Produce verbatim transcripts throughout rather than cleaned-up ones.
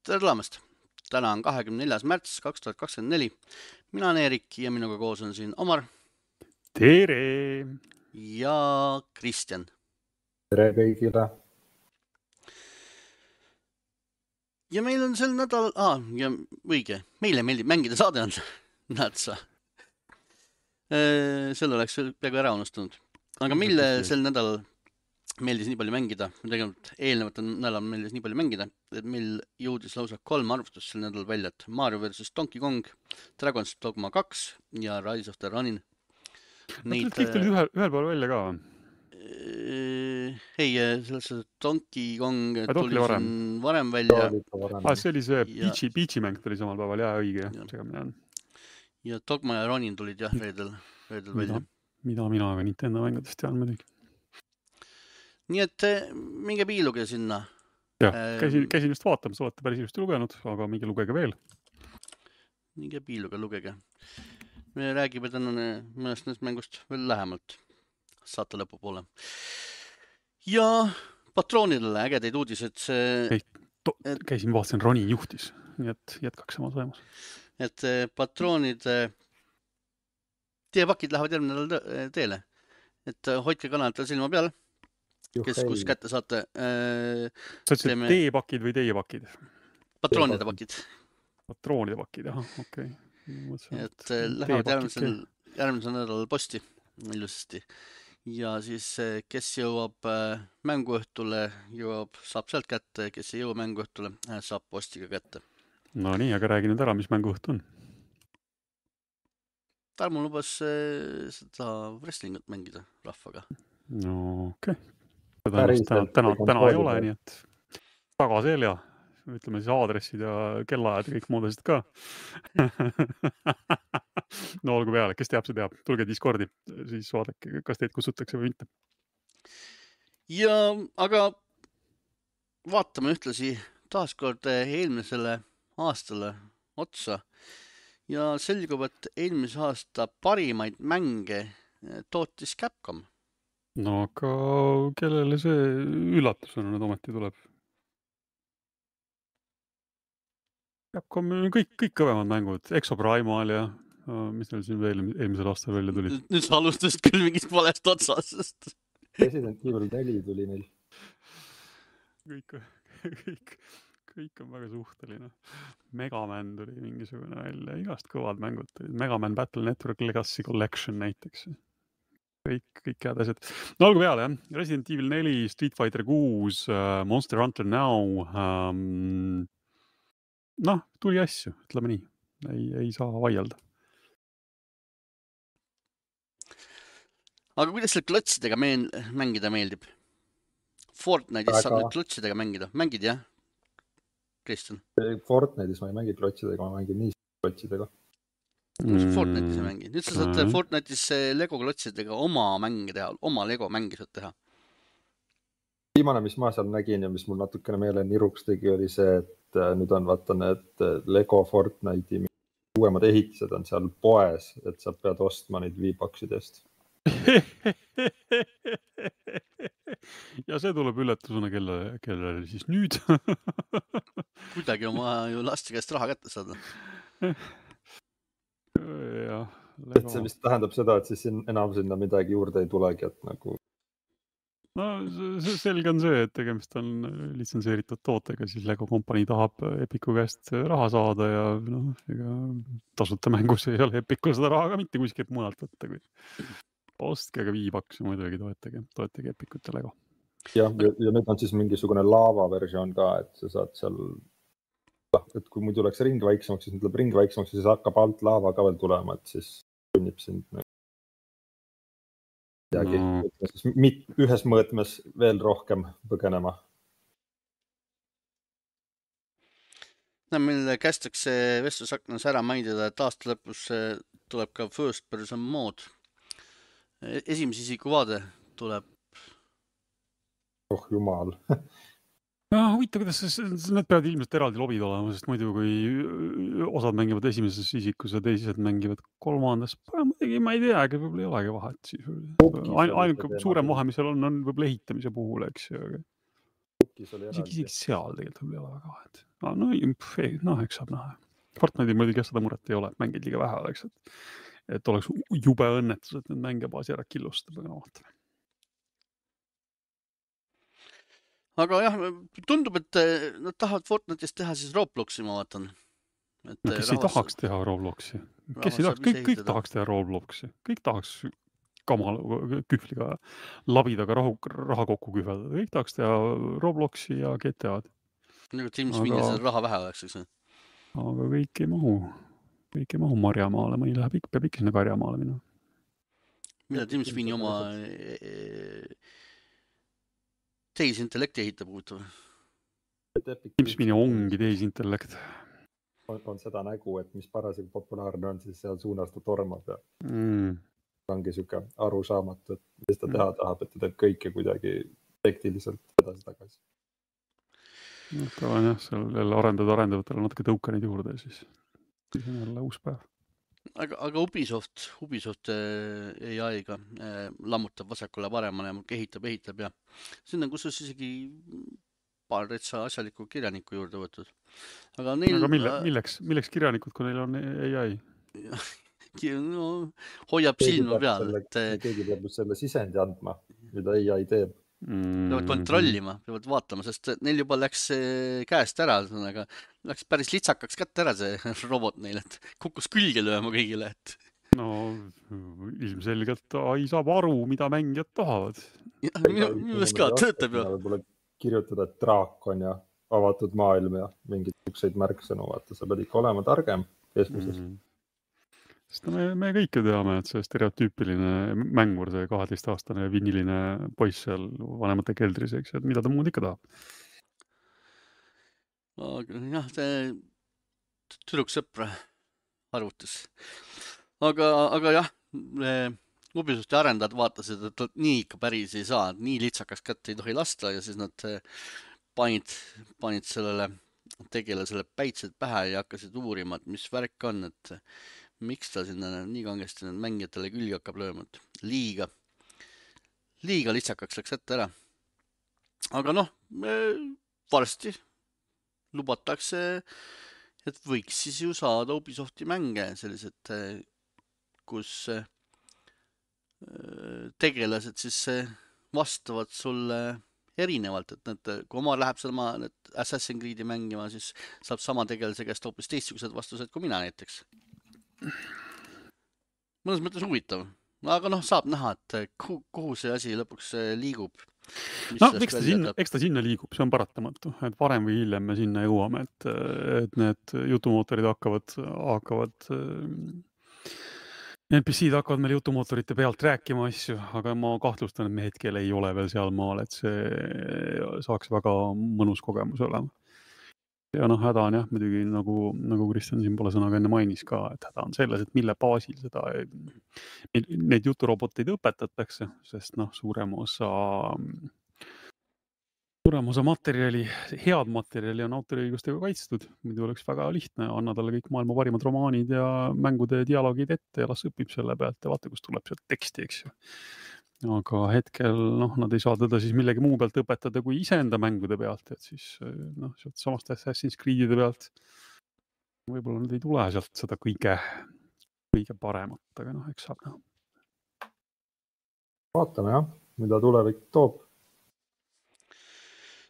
Tere tulemast! Täna on kahekümne neljas märts kaks tuhat kakskümmend neli. Mina olen Eerik ja minuga koos on siin Omar. Tere! Ja Kristjan. Tere kõigile! Ja meil on sel nädal... Ah, ja õige. Meile meeldib mängida saade on. Näed sa. Selle oleks peaaegu ära unustunud. Aga meile sel nädal meeldis nii palju mängida. Tegelikult eelnevat nädal meeldis nii palju mängida, et meil jõudis lausa kolm arvustust sel nädal välja. Et Mario versus Donkey Kong, Dragon's Dogma kaks ja Rise of the Ronin. Neid... Kõik tulid ühel, ühel pool välja ka? Ei, selles Donkey Kong A, tuli varem. siin varem välja. Ah, see oli see Peachy, Peachy mäng tuli samal päeval, jah, õige. Ja. ja Dogma ja Ronin tulid jah reedel, reedel välja. Mida, mida mina aga Nintendo mängudest tean muidugi. Nii et minge piiluge sinna. Jah, käisin, käisin just vaatamas, olete päris just lugenud, aga minge lugege veel. Minge piiluge, lugege. Me räägime tänane mõnest näest mängust veel lähemalt. Saate lõpu poole. Ja patroonidele ägedeid uudised. See, to, et, käisin vaatasin, Ronin juhtis, nii et jätkaks samas vaimus. Et patroonid, teie pakid lähevad järgmine nädal teele. Et hoidke kanalitel silma peal, kes kus kätte saate. Sa ütlesid teeme... teie pakid või teie pakid? Patroonide pakid. Patroonide pakid, jah, okei. Okay. Et lähevad järgmisel, järgmisel nädalal posti ilusasti. Ja siis kes jõuab mänguõhtule, jõuab, saab sealt kätte, kes ei jõua mänguõhtule, saab postiga kätte. No nii, aga räägi nüüd ära, mis mänguõht on. Tarmo lubas seda wrestlingut mängida rahvaga. No okei. Okay. Täna, täna, täna, täna ei ole, nii et tagaselja, ütleme siis aadressid ja kellaajad ja kõik muud asjad ka. No olgu peale, kes teab, see teab. Tulge Discordi, siis vaadake, kas teid kutsutakse või mitte. Ja, aga vaatame ühtlasi taaskord eelmisele aastale otsa. Ja selgub, et eelmise aasta parimaid mänge tootis Capcom. No aga kellele see üllatusena nüüd ometi tuleb? Capcom kõik, kõik kõvemad mängud. Exoprimal ja mis neil siin veel eelmisel aastal välja tuli? Nüüd sa alustasid küll mingist valest otsast. Resident Evil neli tuli neil. Kõik, kõik, kõik on väga suhteline. Megaman tuli mingisugune välja, igast kõvad mängud. Megaman Battle Network Legacy Collection näiteks. Kõik, kõik head asjad. No olgu peale, jah. Resident Evil neli, Street Fighter kuus, Monster Hunter Now. Um, noh, tuli asju, ütleme nii. Ei, ei saa vaielda. Aga kuidas selle klotsidega meen, mängida meeldib? Fortnite'is saab nüüd klotsidega mängida. Mängid, jah? Kristjan? Fortnite'is ma ei mängi klotsidega, ma mängin nii klotsidega. Mm. Fortnite'is ei mängi. Nüüd sa saad mm. Fortnite'is Lego klotsidega oma mänge teha, oma Lego mängi saad teha. Viimane, mis ma seal nägin ja mis mul natukene meele niruks tegi, oli see, et nüüd on vaata need Lego Fortnite'i uuemad ehitised on seal poes, et sa pead ostma neid V-Boxidest. Ja see tuleb üllatusena, kelle, kelle siis nüüd. Kuidagi oma ju laste käest raha kätte saada. Ja, et see vist tähendab seda, et siis enam sinna midagi juurde ei tulegi, et nagu... No see selge on see, et tegemist on litsenseeritud tootega, siis Lego kompanii tahab Epiku käest raha saada ja noh, ega tasuta mängus ei ole Epikul seda raha ka mitte kuskilt mujalt võtta, kui ostke aga V-Box ja muidugi toetage, toetage Epikut ja Lego. Ja, ja, ja nüüd on siis mingisugune laava versioon ka, et sa saad seal, et kui muidu oleks ring väiksemaks, siis tuleb ring väiksemaks ja siis hakkab alt laava ka veel tulema, et siis sünnib sind midagi, no. mit, ühes mõõtmes veel rohkem põgenema. No, meil kästakse vestlusaknas ära maindida, et aasta lõpus tuleb ka first person mode. Esimese isiku vaade tuleb. Oh jumal. No, huvitav, kuidas need peavad ilmselt eraldi lobid olema, sest muidu kui osad mängivad esimeses isikus ja teised mängivad kolmandas, ma ei tea, aga võib-olla ei olegi vahet. Ainuke suurem vahe, mis seal on, on võib-olla ehitamise puhul, eks ju. Epic'is oli isegi, eraldi. isegi seal tegelikult võib-olla ei ole väga vahet. No, no, pff, ei, noh, eks saab näha. Fortnite'i muidugi seda muret ei ole, et mängid liiga vähe oleks, et, et oleks jube õnnetus, et need mängebaasi ära killustab, aga no vaatame. Aga jah, tundub, et nad tahavad Fortnite'ist teha siis Robloxi, ma vaatan. Et no kes rahvas... ei tahaks teha Robloxi? Kes ei tahaks? Kõik, kõik tahaks teha Robloxi. Kõik tahaks kamal kühvliga labidaga rahu, raha kokku kühvelda. Kõik tahaks teha Robloxi ja G T A-d. Nagu Tim Sweeney aga... raha vähe oleks, eks? Aga kõik ei mahu. Kõik ei mahu marjamaale. Mõni läheb ikka, peab ikka sinna karjamaale minna. Mida Tim Sweeney oma tehisintellekti ehitab huvitav? Tim Sweeney ongi tehisintellekt. On, on seda nägu, et mis parasjagu populaarne on, siis seal suunas ta tormab ja mm. ongi siuke arusaamatu, et mis ta teha tahab, et ta teeb kõike kuidagi efektiliselt edasi tagasi. No, ta on jah, seal jälle arendada arendavatele natuke tõuka neid juurde, siis, siis on jälle uus päev. Aga, aga Ubisoft, Ubisoft A I-ga äh, lammutab vasakule paremale ja kehitab, ehitab ja sinna, kus on isegi paar retsa asjalikku kirjaniku juurde võtud. Aga, neil, aga mille, milleks, milleks kirjanikud, kui neil on A I? No, hoiab silma peal. Selle, et... Keegi peab selle sisendi andma, mida A I teeb. Mm. Peavad kontrollima, peavad vaatama, sest neil juba läks käest ära, aga läks päris litsakaks kätte ära see robot neil, et kukkus külge lööma kõigile. Et... No ilmselgelt A I saab aru, mida mängijad tahavad. Ja, minu meelest ka, töötab ju. Võib-olla kirjutada, et draak on ja avatud maailm ja mingeid ükseid märksõnu, vaata, sa pead ikka olema targem keskmises. Mm. Sest me, me kõik ju teame, et see stereotüüpiline mängur, see kaheteistaastane viniline poiss seal vanemate keldris, eks, et mida ta muud ikka tahab? Aga jah, see tüdruksõpra arvutis. Aga, aga jah, Ubisofti arendajad vaatasid, et nii ikka päris ei saa, nii litsakas kätte ei tohi lasta ja siis nad panid, panid sellele tegelasele päitsed pähe ja hakkasid uurima, et mis värk on, et miks ta sinna nii kangesti need mängijatele külge hakkab lööma, et liiga, liiga litsakaks läks ette ära. Aga noh, varsti lubatakse, et võiks siis ju saada Ubisofti mänge sellised, kus tegelased siis vastavad sulle erinevalt, et need, kui oma läheb sama Assassin's Creed'i mängima, siis saab sama tegelase käest hoopis teistsugused vastused kui mina näiteks. Mõnes mõttes huvitav, aga noh, saab näha, et kuhu see asi lõpuks liigub. No, eks ta, sinna, eks ta sinna liigub, see on paratamatu, et varem või hiljem me sinna jõuame, et, et need jutumootorid hakkavad, hakkavad N P C-d hakkavad meil jutumootorite pealt rääkima asju, aga ma kahtlustan, et me hetkel ei ole veel seal maal, et see saaks väga mõnus kogemus olema. Ja noh, häda on jah, muidugi nagu, nagu Kristjan siin pole sõnaga enne mainis ka, et häda on selles, et mille baasil seda, neid juturoboteid õpetatakse, sest noh, suurem osa, suurem osa materjali, head materjali on autoriõigustega kaitstud, muidu oleks väga lihtne, anna talle kõik maailma parimad romaanid ja mängude dialoogid ette ja las õpib selle pealt ja vaata, kus tuleb sealt teksti, eks ju. Aga hetkel noh, nad ei saa teda siis millegi muu pealt õpetada kui iseenda mängude pealt, et siis noh, sealt samast Assassin's Creed'ide pealt võib-olla nad ei tule sealt seda kõige, kõige paremat, aga noh, eks saab näha. Vaatame jah, mida tulevik toob.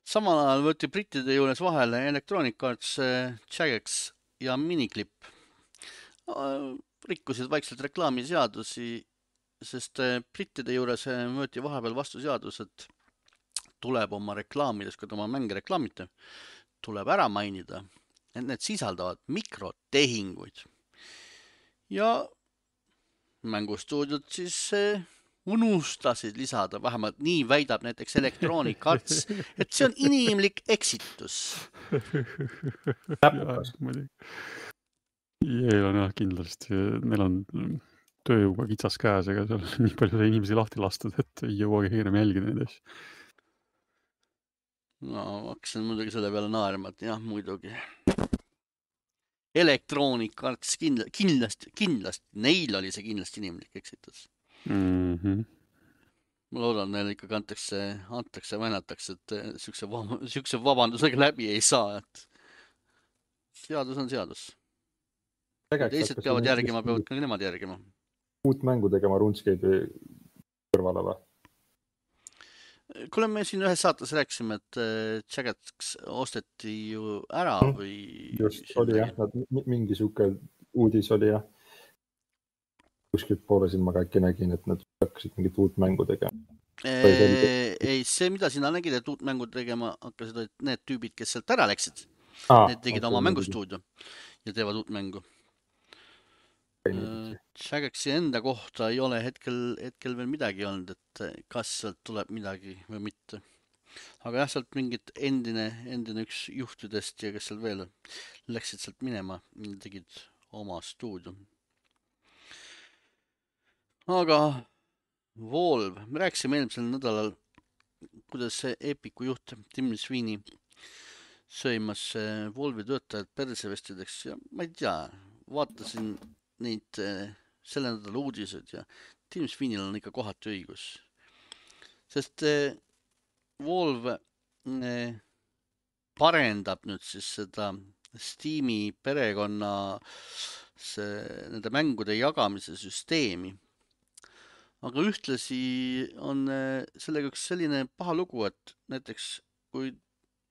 Samal ajal võeti brittide juures vahele Electronic Arts Jagex ja Miniclip. Rikkusid vaikselt reklaamiseadusi, sest brittide juures võeti vahepeal vastu seadus, et tuleb oma reklaamides, kui oma mänge reklaamite, tuleb ära mainida, et need sisaldavad mikrotehinguid. Ja mängustuudiod siis unustasid lisada, vähemalt nii väidab näiteks Electronic Arts, et see on inimlik eksitus. Jeel on jah kindlasti, neil on tööjõuga kitsas käes, ega seal nii palju inimesi lahti lastud, et ei jõuagi hiirem jälgida neid asju. No, hakkasin muidugi selle peale naerma, et jah, muidugi. Electronic Arts kindlasti, kindlasti, neil oli see kindlasti inimlik eksitus. Mm-hmm. ma loodan, neil ikkagi antakse, antakse, vänatakse, et siukse, vab siukse vabandusega läbi ei saa, et seadus on seadus. Teised peavad järgima, peavad ka nemad järgima. Uut mängu tegema RuneScape'i kõrvale või? Kuule, me siin ühes saates rääkisime, et Jaggeds osteti ju ära või... Just oli jah, nad mingi siuke uudis oli jah. Kuskilt poole siin ma ka äkki nägin, et nad hakkasid mingit uut mängu tegema. Ei, see, mida sina nägid, et uut mängu tegema hakkasid, olid need tüübid, kes sealt ära läksid. Ah, need tegid okay, oma mängustuudio ja teevad uut mängu. Jaggedsi enda kohta ei ole hetkel, hetkel veel midagi olnud, et kas sealt tuleb midagi või mitte. Aga jah, sealt mingit endine, endine üks juhtidest ja kes seal veel läksid sealt minema, tegid oma stuudio. Aga Valve, me rääkisime eelmisel nädalal, kuidas see Epicu juht Tim Sweeney söimas Valve'i töötajad persevestideks ja ma ei tea, vaatasin neid selle nädala uudised ja Tim Sweeney'l on ikka kohati õigus. Sest Valve parendab nüüd siis seda Steam'i perekonna see, nende mängude jagamise süsteemi. Aga ühtlasi on sellega üks selline paha lugu, et näiteks kui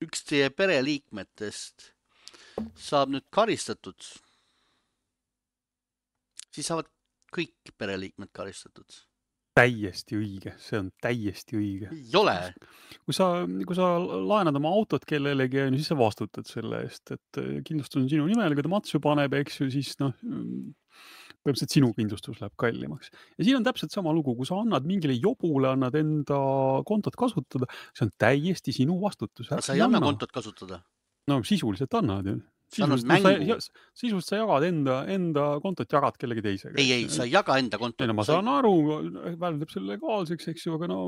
üks teie pereliikmetest saab nüüd karistatud, siis saavad kõik pereliikmed karistatud. Täiesti õige, see on täiesti õige. Ei ole. Kui sa, kui sa laenad oma autot kellelegi, siis sa vastutad selle eest, et kindlustus on sinu nimel, kui ta matsu paneb, eks ju, siis noh, põhimõtteliselt sinu kindlustus läheb kallimaks. Ja siin on täpselt sama lugu, kui sa annad mingile jobule, annad enda kontot kasutada, see on täiesti sinu vastutus. Sa ei anna kontot kasutada? No sisuliselt annad ju. Sisuliselt, mängu. Sa, sisuliselt sa jagad enda, enda kontot, jagad kellegi teisega. Ei, ei, sa ei jaga enda kontot. Ei, no, ma saan aru, väldab selle legaalseks, eks ju, aga no,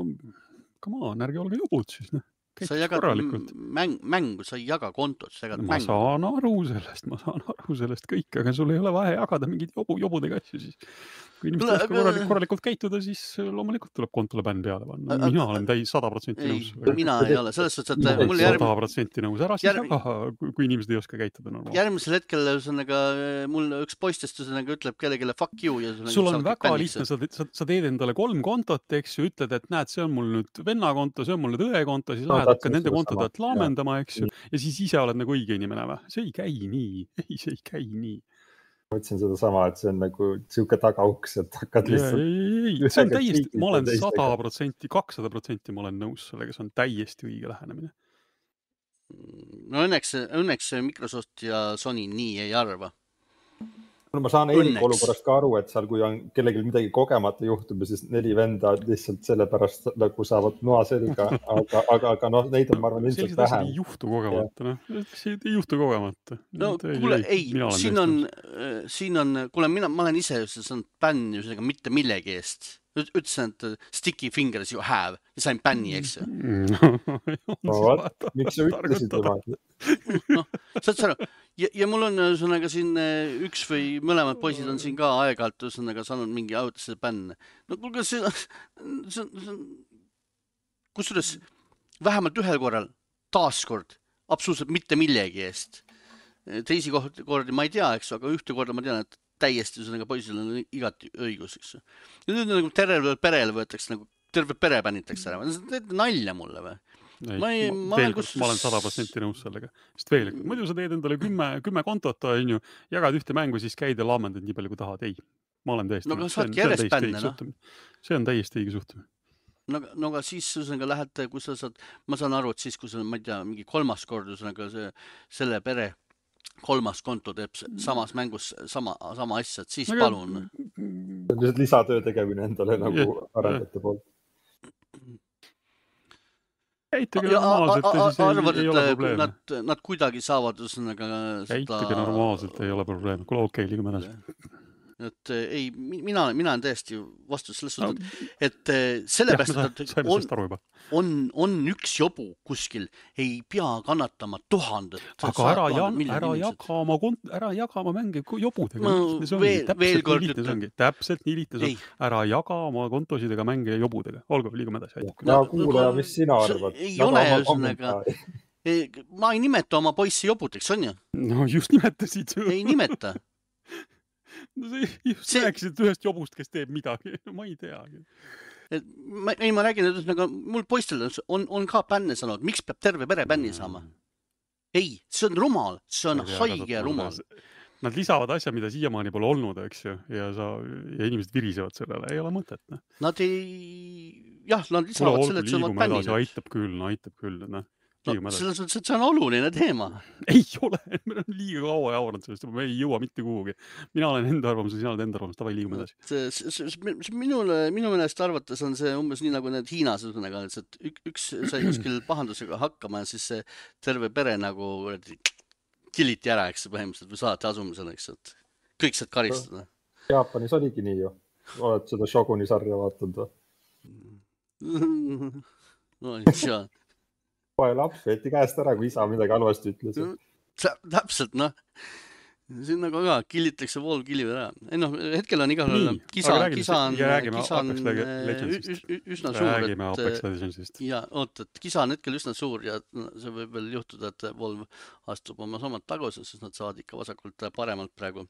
come on, ärge olge jobud siis. No. Sa jagad mäng, mängu, sa ei jaga kontot, sa jagad ma mängu. Ma saan aru sellest, ma saan aru sellest kõik, aga sul ei ole vaja jagada mingid jobu, jobudega asju siis. Kui inimesed oska korralikult, korralikult käituda, siis loomulikult tuleb kontole bänn peale panna. Mina olen täis sada protsenti nõus. Mina ei ole, selles suhtes, et mul järg... sada protsenti nõus. Ära siis jaga, kui inimesed ei oska käituda normaalselt. Järgmisel hetkel ühesõnaga, mul üks poistest ühesõnaga ütleb kellegile fuck you. Ja sul on väga lihtne, sa, sa, sa teed endale kolm kontot, eks ju, ütled, et näed, see on mul nüüd venna konto, see on mul nüüd õe konto, siis lähed hakka nende kontodelt laamendama, eks ju, ja siis ise oled nagu õige inimene või? See ei käi nii, ei, see ei käi nii. Ma ütlesin seda sama, et see on nagu siuke tagauks, et hakkad lihtsalt... Ei, ei, ei, see on täiesti, ma olen sada protsenti, kakssada protsenti ma olen nõus sellega, see on täiesti õige lähenemine. No õnneks, õnneks Microsoft ja Sony nii ei arva. No, ma saan Eerik olukorrast ka aru, et seal kui on kellelgi midagi kogemata juhtub, siis neli venda lihtsalt sellepärast nagu saavad noa selga, aga, aga, aga noh, neid on ma arvan ilmselt vähem. Sellised ei juhtu kogemata, noh. See ei juhtu kogemata. No kuule, ei, siin on, siin on, kuule, mina, ma olen ise saanud bänni sellega mitte millegi eest. Ütlesin, et sticky fingers you have ja sain bänni, eks ju. No, vaat, miks sa ütlesid tema? No, saad sa aru? Ja, ja mul on ühesõnaga siin üks või mõlemad poisid on siin ka aeg-alt ühesõnaga saanud mingi ajutise bänne. No kuulge, see, see, see kusjuures vähemalt ühel korral taaskord absoluutselt mitte millegi eest. Teisi kordi ma ei tea, eks, aga ühte korda ma tean, et täiesti ühesõnaga poisil on igati õigus, eks. Ja nüüd nagu terve perele võetakse, nagu terve pere pännitakse ära. See on nalja mulle või? Ei, ma, ei, ma, olen kus... ma olen sada protsenti nõus sellega. Sest veel, muidu sa teed endale kümme, kümme kontot, on ju, jagad ühte mängu, siis käid ja laamendad nii palju, kui tahad. Ei, ma olen täiesti no, see, on, see, on bänne, no. see on täiesti õige suhtumine. No, no aga siis ühesõnaga lähed, kui sa saad, ma saan aru, et siis, kui sa, ma ei tea, mingi kolmas kord ühesõnaga see, selle pere kolmas konto teeb samas mängus sama, sama asja, et siis aga... palun. See on lihtsalt lisatöö tegemine endale nagu yeah, arendajate poolt. Käituge normaalselt ja siis arvad, ei, ei ole probleemi. Nad, nad kuidagi saavad ühesõnaga seda... Käituge normaalselt, ei ole probleemi. Kuule, okei, liigume edasi. et ei, mina, mina olen täiesti vastu selles No, suhtes, et jah, me sellepärast, sa- et saime on, sellest aru juba. on, on üks jobu kuskil, ei pea kannatama tuhandet, Aga sajad ära, ja, tuhanded, miljonid ära inimesed. jaga oma, kont-- ära jaga oma mänge ku- jobudega. Ma Nii lihtne see ongi. veel- veel Täpselt nii kord lihtne see ütlen. ongi. Täpselt nii lihtne see Ei. on. Ära jaga oma kontosidega mänge jobudega. Olgu, liigume edasi. Aitab küll. ja No, kuulaja, aga mis sina see arvad? ei Jaga ole oma ühesõnaga- kommentaari. Ei, ma ei nimeta oma poissi jobudeks, on ju? No just nimetasid ju. Ei nimeta. No sa just See- rääkisid ühest jobust, kes teeb midagi. Ma ei teagi. Et ma, ei, ma räägin, et ühesõnaga, mul poistel on, on ka bänne saanud. Miks peab terve pere bänni saama? Ei, see on rumal. See on Ma ei tea, haige kasvab ja rumal. korda. Nad lisavad asja, mida siiamaani pole olnud, eks ju. Ja, sa, ja inimesed virisevad sellele. Ei ole mõtet. Ne? Nad ei... Jah, nad Kuule, lisavad olgu, selle, et see on liigume edasi. bänninud. Aitab küll, no aitab küll. Ne? No, Liigume edasi. selles mõttes, et see on oluline teema. Ei ole, me oleme liiga kaua jauranud sellest, me ei jõua mitte kuhugi. Mina olen enda arvamus ja sina oled enda arvamus, tavai liigume edasi. See, see, see, see, minule, minu meelest arvates on see umbes nii nagu need Hiinas, ühesõnaga, et üks, üks sai kuskil pahandusega hakkama ja siis see terve pere nagu killiti ära, eks põhimõtteliselt, või saati asumisele, eks, et kõik saad karistada. Jaapanis oligi nii ju. Oled seda Shoguni sarja vaatanud või? No, ei Poe laps veeti käest ära, kui isa midagi halvasti ütles. Täpselt, noh. Siin nagu ka killitakse pool killi ära. Ei noh, hetkel on igal juhul kisa, kisa on, kisa on üsna suur. Räägime Apex Legendsist. Ja, oot, et kisa on hetkel üsna suur ja see võib veel juhtuda, et Valve astub oma samad tagasi, sest nad saavad ikka vasakult paremalt praegu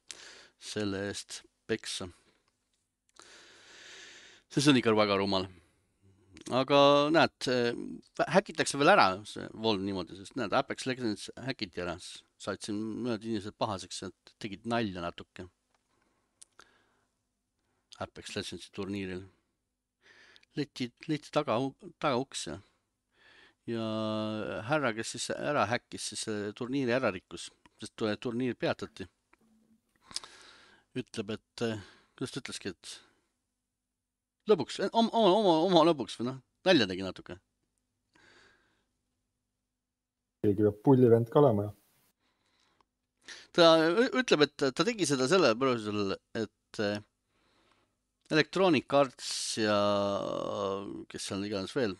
selle eest peksa. See on ikka väga rumal. Aga näed, häkitakse veel ära see Valve niimoodi, sest näed, Apex Legends häkiti ära. Said siin mõned inimesed pahaseks, et tegid nalja natuke. Apex Legendsi turniiril. Leiti, leiti taga, taga uks ja. Ja härra, kes siis ära häkkis, siis turniiri ära rikkus, sest turniir peatati. Ütleb, et, kuidas ta ütleski, et lõbuks, oma, oma, oma lõbuks või noh, nalja tegi natuke. Keegi peab pullivend ka olema. Ta ütleb, et ta tegi seda selle põhjusel, et Electronic Arts ja kes seal iganes veel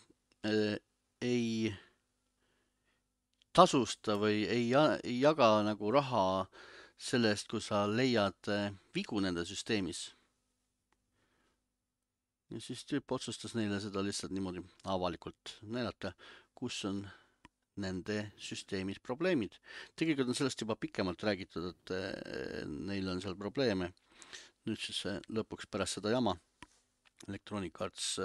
ei tasusta või ei, ei jaga nagu raha selle eest, kui sa leiad vigu nende süsteemis. Ja siis tüüp otsustas neile seda lihtsalt niimoodi avalikult näidata, kus on nende süsteemis probleemid. Tegelikult on sellest juba pikemalt räägitud, et neil on seal probleeme. Nüüd siis lõpuks pärast seda jama Electronic Arts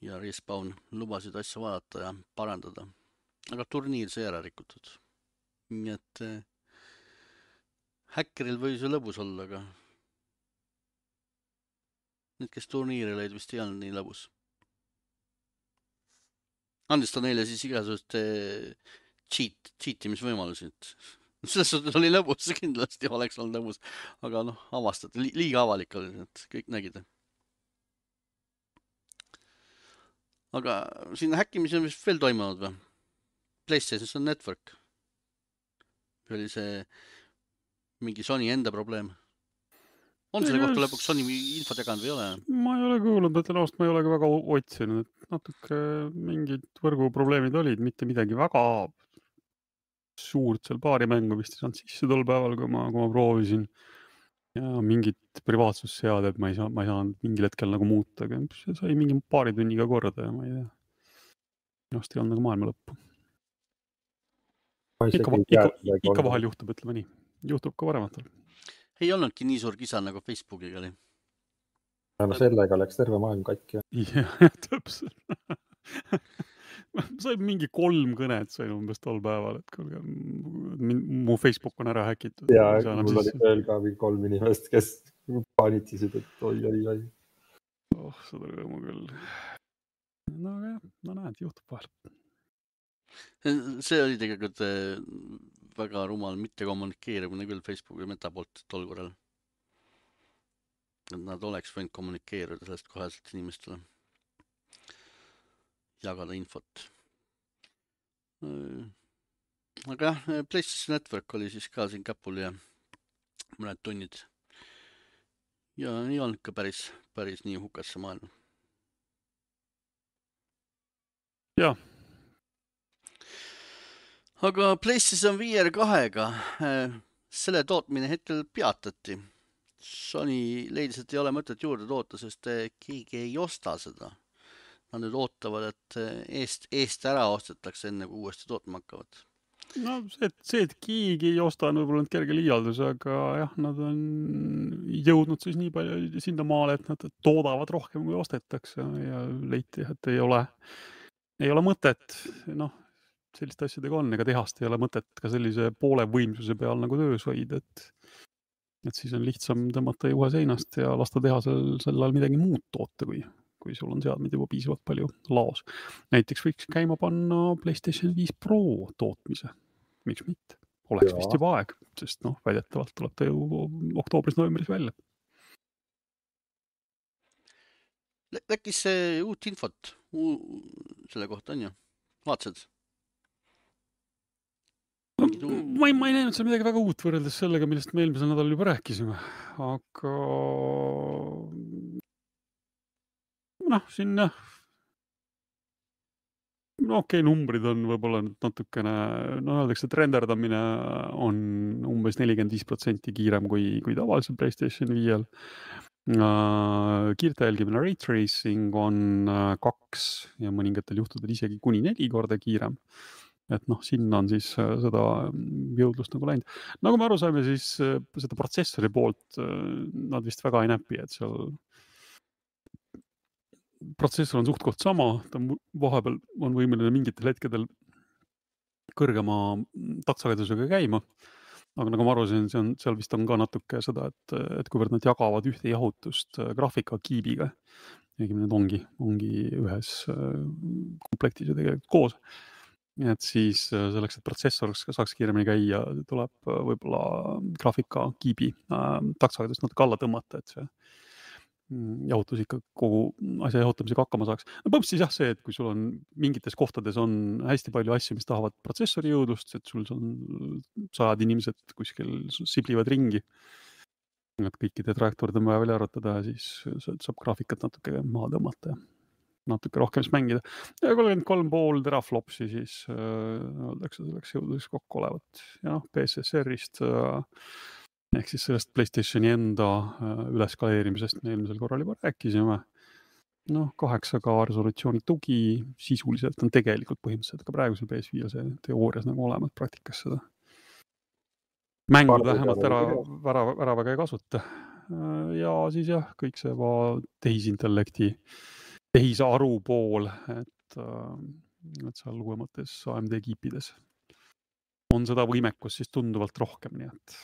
ja Respawn lubasid asja vaadata ja parandada. Aga turniir sai ära rikutud. Nii et häkkeril võis ju lõbus olla, aga need, kes turniiri lõid, vist ei olnud nii lõbus. Andis ta neile siis igasugust cheat, cheatimisvõimalusi. Selles suhtes oli lõbus, kindlasti oleks olnud lõbus. Aga noh, avastati, liiga avalik oli, et kõik nägid. Aga siin häkkimise on vist veel toimunud või? PlayStation Network. Või oli see mingi Sony enda probleem? On selle kohta lõpuks Sony infot jaganud või ei ole? Ma ei ole kuulnud, et ennast ma ei ole ka väga otsinud, et natuke mingid võrguprobleemid olid, mitte midagi väga suurt seal paari mängu vist ei saanud sisse tol päeval, kui ma, kui ma proovisin. Ja mingid privaatsusseaded ma ei saa, ma ei saanud mingil hetkel nagu muuta, aga see sai mingi paari tunniga korda ja ma ei tea. Ennast ei olnud nagu maailma lõppu. Ikka, ikka, ikka vahel juhtub, ütleme nii. Juhtub ka varematel. Ei olnudki nii suur kisa nagu Facebookiga oli. Ja no sellega läks terve maailm katki. Jah, täpselt. Sain mingi kolm kõnet sain umbes tol päeval, et kuulge, mu Facebook on ära häkitud. Ja mul oli veel ka kolm inimest, kes paanitisid, et oi, oi, oi. Oh, seda rõõmu küll. No aga jah, no näed, juhtub vahel. See oli tegelikult väga rumal mitte kommunikeerimine küll Facebooki meta poolt tol korral. Et nad oleks võinud kommunikeerida sellest koheselt inimestele. Jagada infot. Aga jah, PlayStation Network oli siis ka siin käpul ja mõned tunnid. ja ei olnud ka päris, päris nii hukas see maailm. Jah. Aga PlayStation V R kahega selle tootmine hetkel peatati. Sony leidis, et ei ole mõtet juurde toota, sest keegi ei osta seda. Nad nüüd ootavad, et eest, eest ära ostetakse enne, kui uuesti tootma hakkavad. No see, et, see, et keegi ei osta, on võib-olla nüüd kerge liialdus, aga jah, nad on jõudnud siis nii palju sinna maale, et nad toodavad rohkem, kui ostetakse ja leiti, et ei ole, ei ole mõtet, noh, selliste asjadega on, ega tehast ei ole mõtet ka sellise poole võimsuse peal nagu töös hoida, et, et siis on lihtsam tõmmata juhe seinast ja lasta teha sel, sel ajal midagi muud toota, kui, kui sul on seadmed juba piisavalt palju laos. Näiteks võiks käima panna PlayStation viis Pro tootmise. Miks mitte? Oleks ja. Vist juba aeg, sest noh, väidetavalt tuleb ta ju oktoobris-novembris välja. Läkkis see uut infot uu, selle kohta on ju? Vaatasid? Ma ei, ma ei näinud seal midagi väga uut võrreldes sellega, millest me eelmisel nädalal juba rääkisime, aga noh, siin no okei, okay, numbrid on võib-olla natukene, no öeldakse, et renderdamine on umbes nelikümmend viis protsenti kiirem kui, kui tavalisel PlayStation viiel. Uh, kiirte jälgimine ray tracing on uh, kaks ja mõningatel juhtudel isegi kuni neli korda kiirem. Et noh, sinna on siis uh, seda jõudlust nagu läinud. Nagu me aru saime, siis uh, seda protsessori poolt uh, nad vist väga ei näpi, et seal protsessor on suht koht sama, ta vahepeal on võimeline mingitel hetkedel kõrgema taksagedusega käima, aga nagu ma arusin, see on, seal vist on ka natuke seda, et, et kuivõrd nad jagavad ühte jahutust graafika kiibiga, õigemini need ongi, ongi ühes komplektis ja tegelikult koos, et siis selleks, et protsessor saaks kiiremini käia, tuleb võib-olla graafika kiibi taksagedust natuke alla tõmmata, et see jahutus ikka kogu asja jahutamisega hakkama saaks. No põhimõtteliselt jah see, et kui sul on mingites kohtades on hästi palju asju, mis tahavad protsessori jõudlust, et sul on sajad inimesed kuskil siblivad ringi, et kõikide trajektoorid on vaja välja arvutada ja siis saab graafikat natuke maha tõmmata ja natuke rohkem siis mängida. Ja kolmkümmend kolm pool teraflopsi siis öeldakse selleks jõudluseks kokku olevat. Ja noh, P S S R-ist ehk siis sellest PlayStationi enda üleskaleerimisest me eelmisel korral juba rääkisime. Noh, kaheksa K resolutsiooni tugi sisuliselt on tegelikult põhimõtteliselt ka praegusel P S viiel see teoorias nagu olemas praktikas seda. Mängud vähemalt ära, ära, ära väga ei kasuta. Ja siis jah, kõik see tehisintellekti, tehisaru pool, et, et seal uuemates A M D kiipides on seda võimekus siis tunduvalt rohkem, nii et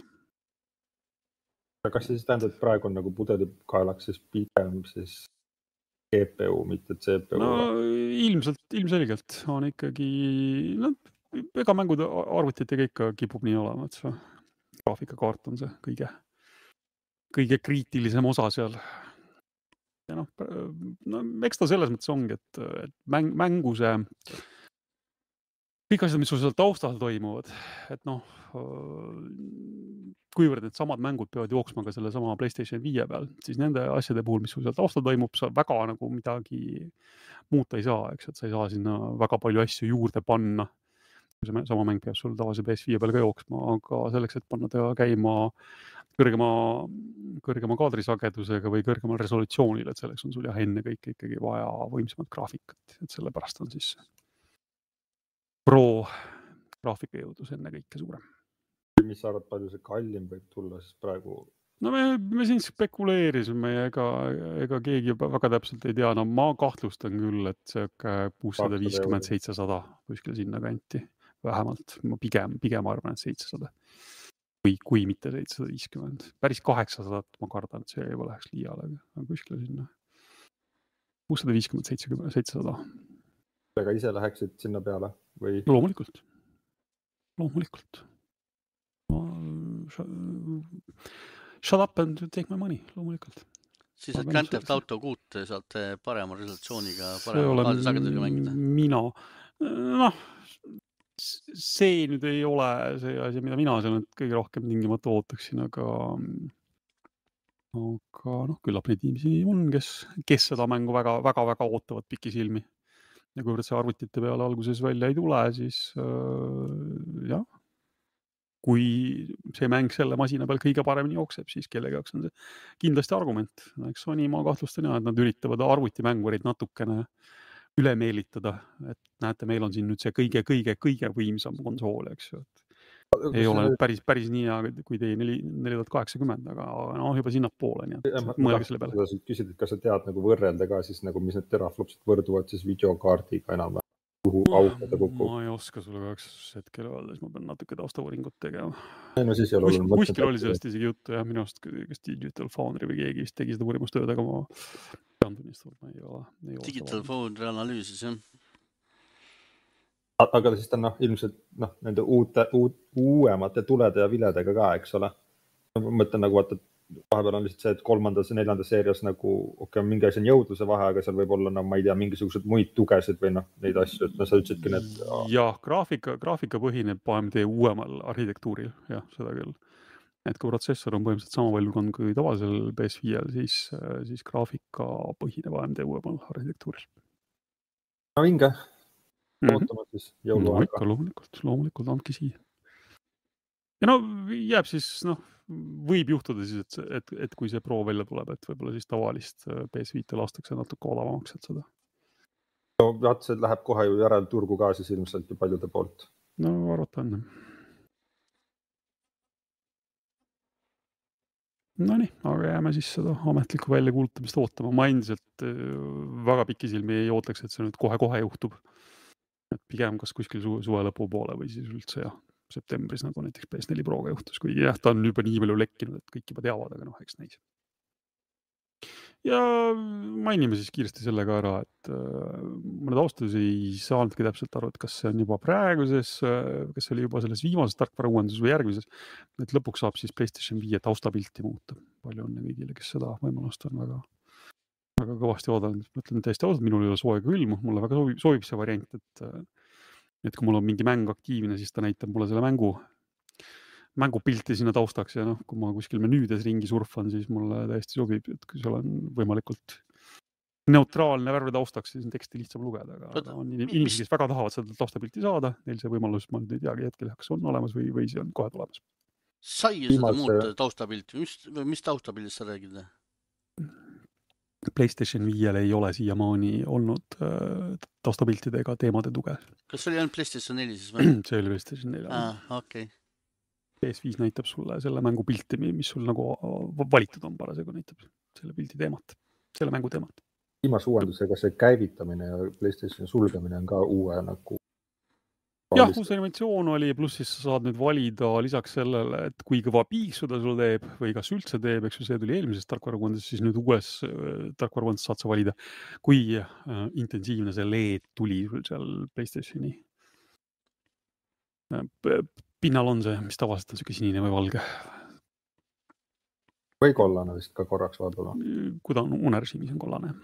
kas siis tähendab, et praegu on nagu pudelikaelaks siis pigem siis G P U, mitte C P U? No ilmselt, ilmselgelt on ikkagi, no ega mängud arvutitega ikka kipub nii olema, et see graafikakaart on see kõige, kõige kriitilisem osa seal. Ja noh, no eks ta selles mõttes ongi, et, et mäng, mängu see kõik asjad, mis sul seal taustal toimuvad, et noh, kuivõrd need samad mängud peavad jooksma ka selle sama PlayStation viie peal, siis nende asjade puhul, mis sul seal taustal toimub, sa väga nagu midagi muuta ei saa, eks, et sa ei saa sinna väga palju asju juurde panna. Sama mäng peab sul tavalise P S viie peal ka jooksma, aga selleks, et panna ta käima kõrgema, kõrgema kaadrisagedusega või kõrgemal resolutsioonil, et selleks on sul jah enne kõik ikkagi vaja võimsamat graafikat, et sellepärast on siis Pro graafikajõudlus enne kõike suurem. Mis sa arvad, palju see kallim võib tulla siis praegu? No me, me siin spekuleerisime ja ega, ega keegi väga täpselt ei tea. No ma kahtlustan küll, et see kuussada viiskümmend seitsesada kuskil sinna kanti vähemalt. Ma pigem, pigem arvan, et seitsesada. Kui, kui mitte seitsesada viiskümmend. Päris kaheksasada ma kardan, et see juba läheks liiale, aga kuskil sinna. kuussada viiskümmend seitsesada. Ega ise läheksid sinna peale? Või? Loomulikult. Loomulikult. Shut up and take my money, loomulikult. Siis et Grand Theft Auto kuut saate parema resolutsiooniga, parema kaadrisagedusega mängida? Mina. Noh, see nüüd ei ole see asi, mida mina seal kõige rohkem tingimata ootaksin, aga aga noh, küllap neid inimesi on, kes, kes seda mängu väga, väga, väga ootavad pikisilmi. Ja kuivõrd see arvutite peale alguses välja ei tule, siis äh, jah, kui see mäng selle masina peal kõige paremini jookseb, siis kellegi jaoks on see kindlasti argument. Eks Sony ma kahtlustan jah, et nad üritavad arvutimängurid natukene üle meelitada, et näete, meil on siin nüüd see kõige, kõige, kõige võimsam konsool, eks ju. Ei ole nüüd päris, päris nii hea, kui teie neli tuhat kaheksakümmend, aga no, juba sinna poole, nii et ma, mõelge selle peale. Ma küsid, et kas sa tead nagu võrrelda ka siis nagu, mis need teraflopsid võrduvad siis videokaardiga enam, kuhu aukada kukub? Ma ei oska sulle kaheks hetkel öelda, siis ma pean natuke taustavõringut tegema. Ei, no siis ei ole Kus, olnud kuskil oli sellest isegi juttu, jah, minu arust, kas Digital Foundry või keegi vist tegi seda uurimustööd, aga ma pean tunnistama, ma ei ole. Ei ole Digital Foundry analüüsis, jah. Aga siis ta noh, ilmselt noh, nende uute, uut, uuemate tulede ja viledega ka, eks ole. Ma mõtlen nagu, vaata, vahepeal on lihtsalt see, et kolmandas ja neljandas seerias nagu okei, mingi asi on jõudluse vahe, aga seal võib olla, no ma ei tea, mingisugused muid tugesid või noh, neid asju, et no sa ütlesidki need. Jah, graafika, graafika põhineb A M D uuemal arhitektuuril, jah, seda küll. Et kui protsessor on põhimõtteliselt sama valgkond kui tavalisel P S viiel, siis, siis graafika põhineb A M D uuemal arhitektuuril. No vinge. Mm-hmm. Ootama siis jõuluaega. No ikka, loomulikult, loomulikult andki siia. Ja no jääb siis, noh, võib juhtuda siis, et, et, et kui see Pro välja tuleb, et võib-olla siis tavalist P S viite lastakse natuke odavamaks, et seda. No vaat see läheb kohe ju järel turgu ka siis ilmselt ju paljude poolt. No arvata on. No nii, aga jääme siis seda ametlikku välja kuulutamist ootama. Ma endiselt väga pikisilmi ei ootaks, et see nüüd kohe-kohe juhtub. Et pigem kas kuskil su suve lõpu poole või siis üldse jah, septembris nagu näiteks P S neli Proga juhtus, kuigi jah, ta on juba nii palju lekkinud, et kõik juba teavad, aga noh, eks näis. Ja mainime siis kiiresti sellega ära, et äh, mõned austus ei saanudki täpselt aru, et kas see on juba praeguses, kas see oli juba selles viimases tarkvara uuenduses või järgmises, et lõpuks saab siis PlayStation viie taustapilti muuta. Palju on kõigile, kes seda võimalust on väga väga kõvasti oodanud. Ma ütlen täiesti ausalt, minul ei ole soe külm, mulle väga soovib, soovib see variant, et, et kui mul on mingi mäng aktiivne, siis ta näitab mulle selle mängu, mängupilti sinna taustaks ja noh, kui ma kuskil menüüdes ringi surfan, siis mulle täiesti sobib, et kui seal on võimalikult neutraalne värve taustaks, siis on teksti lihtsam lugeda, aga Oota, on inimesi, kes väga tahavad seda taustapilti saada, neil see võimalus, ma nüüd ei teagi hetkel, kas on olemas või, või see on kohe tulemas. Sai ju seda muuta taustapilti, mis, mis taustapildist sa räägid? PlayStation viiel ei ole siiamaani olnud äh, taustapiltidega teemade tuge. Kas see oli ainult PlayStation neli siis või? See oli PlayStation neli. Ah, okei. Okay. P S viis näitab sulle selle mängu pilti, mis sul nagu valitud on parasjagu, näitab selle pildi teemat, selle mängu teemat. Viimase uuendusega see käivitamine ja PlayStationi sulgemine on ka uue nagu jah, uus animatsioon oli, pluss siis sa saad nüüd valida lisaks sellele, et kui kõva piiksu ta sul teeb või kas üldse teeb, eks ju, see tuli eelmisest tarkvarauuendusest, siis nüüd uues tarkvarauuendusest saad sa valida, kui äh, intensiivne see L E D tuli sul seal PlayStationi. Pinnal on see, mis tavaliselt on siuke sinine või valge. Või kollane vist ka korraks vaadata. Kui ta on unerežiimis on kollane.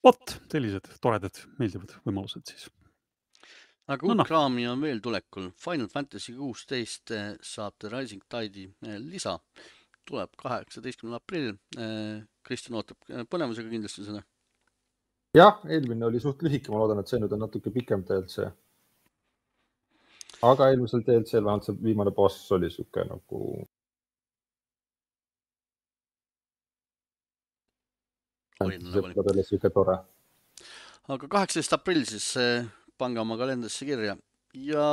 Vot, sellised toredad, meeldivad võimalused siis. Aga uut no, no. kraami on veel tulekul. Final Fantasy kuusteist saab The Rising Tide'i lisa. Tuleb kaheksateistkümnendal aprill. Kristjan ootab põnevusega kindlasti seda. Jah, eelmine oli suht lühike. Ma loodan, et see nüüd on natuke pikem D L C. Aga eelmisel D L C-l vähemalt see viimane boss oli suke nagu... Suke tore. Aga kaheksateistkümnendal aprill siis... pange oma kalendrisse kirja ja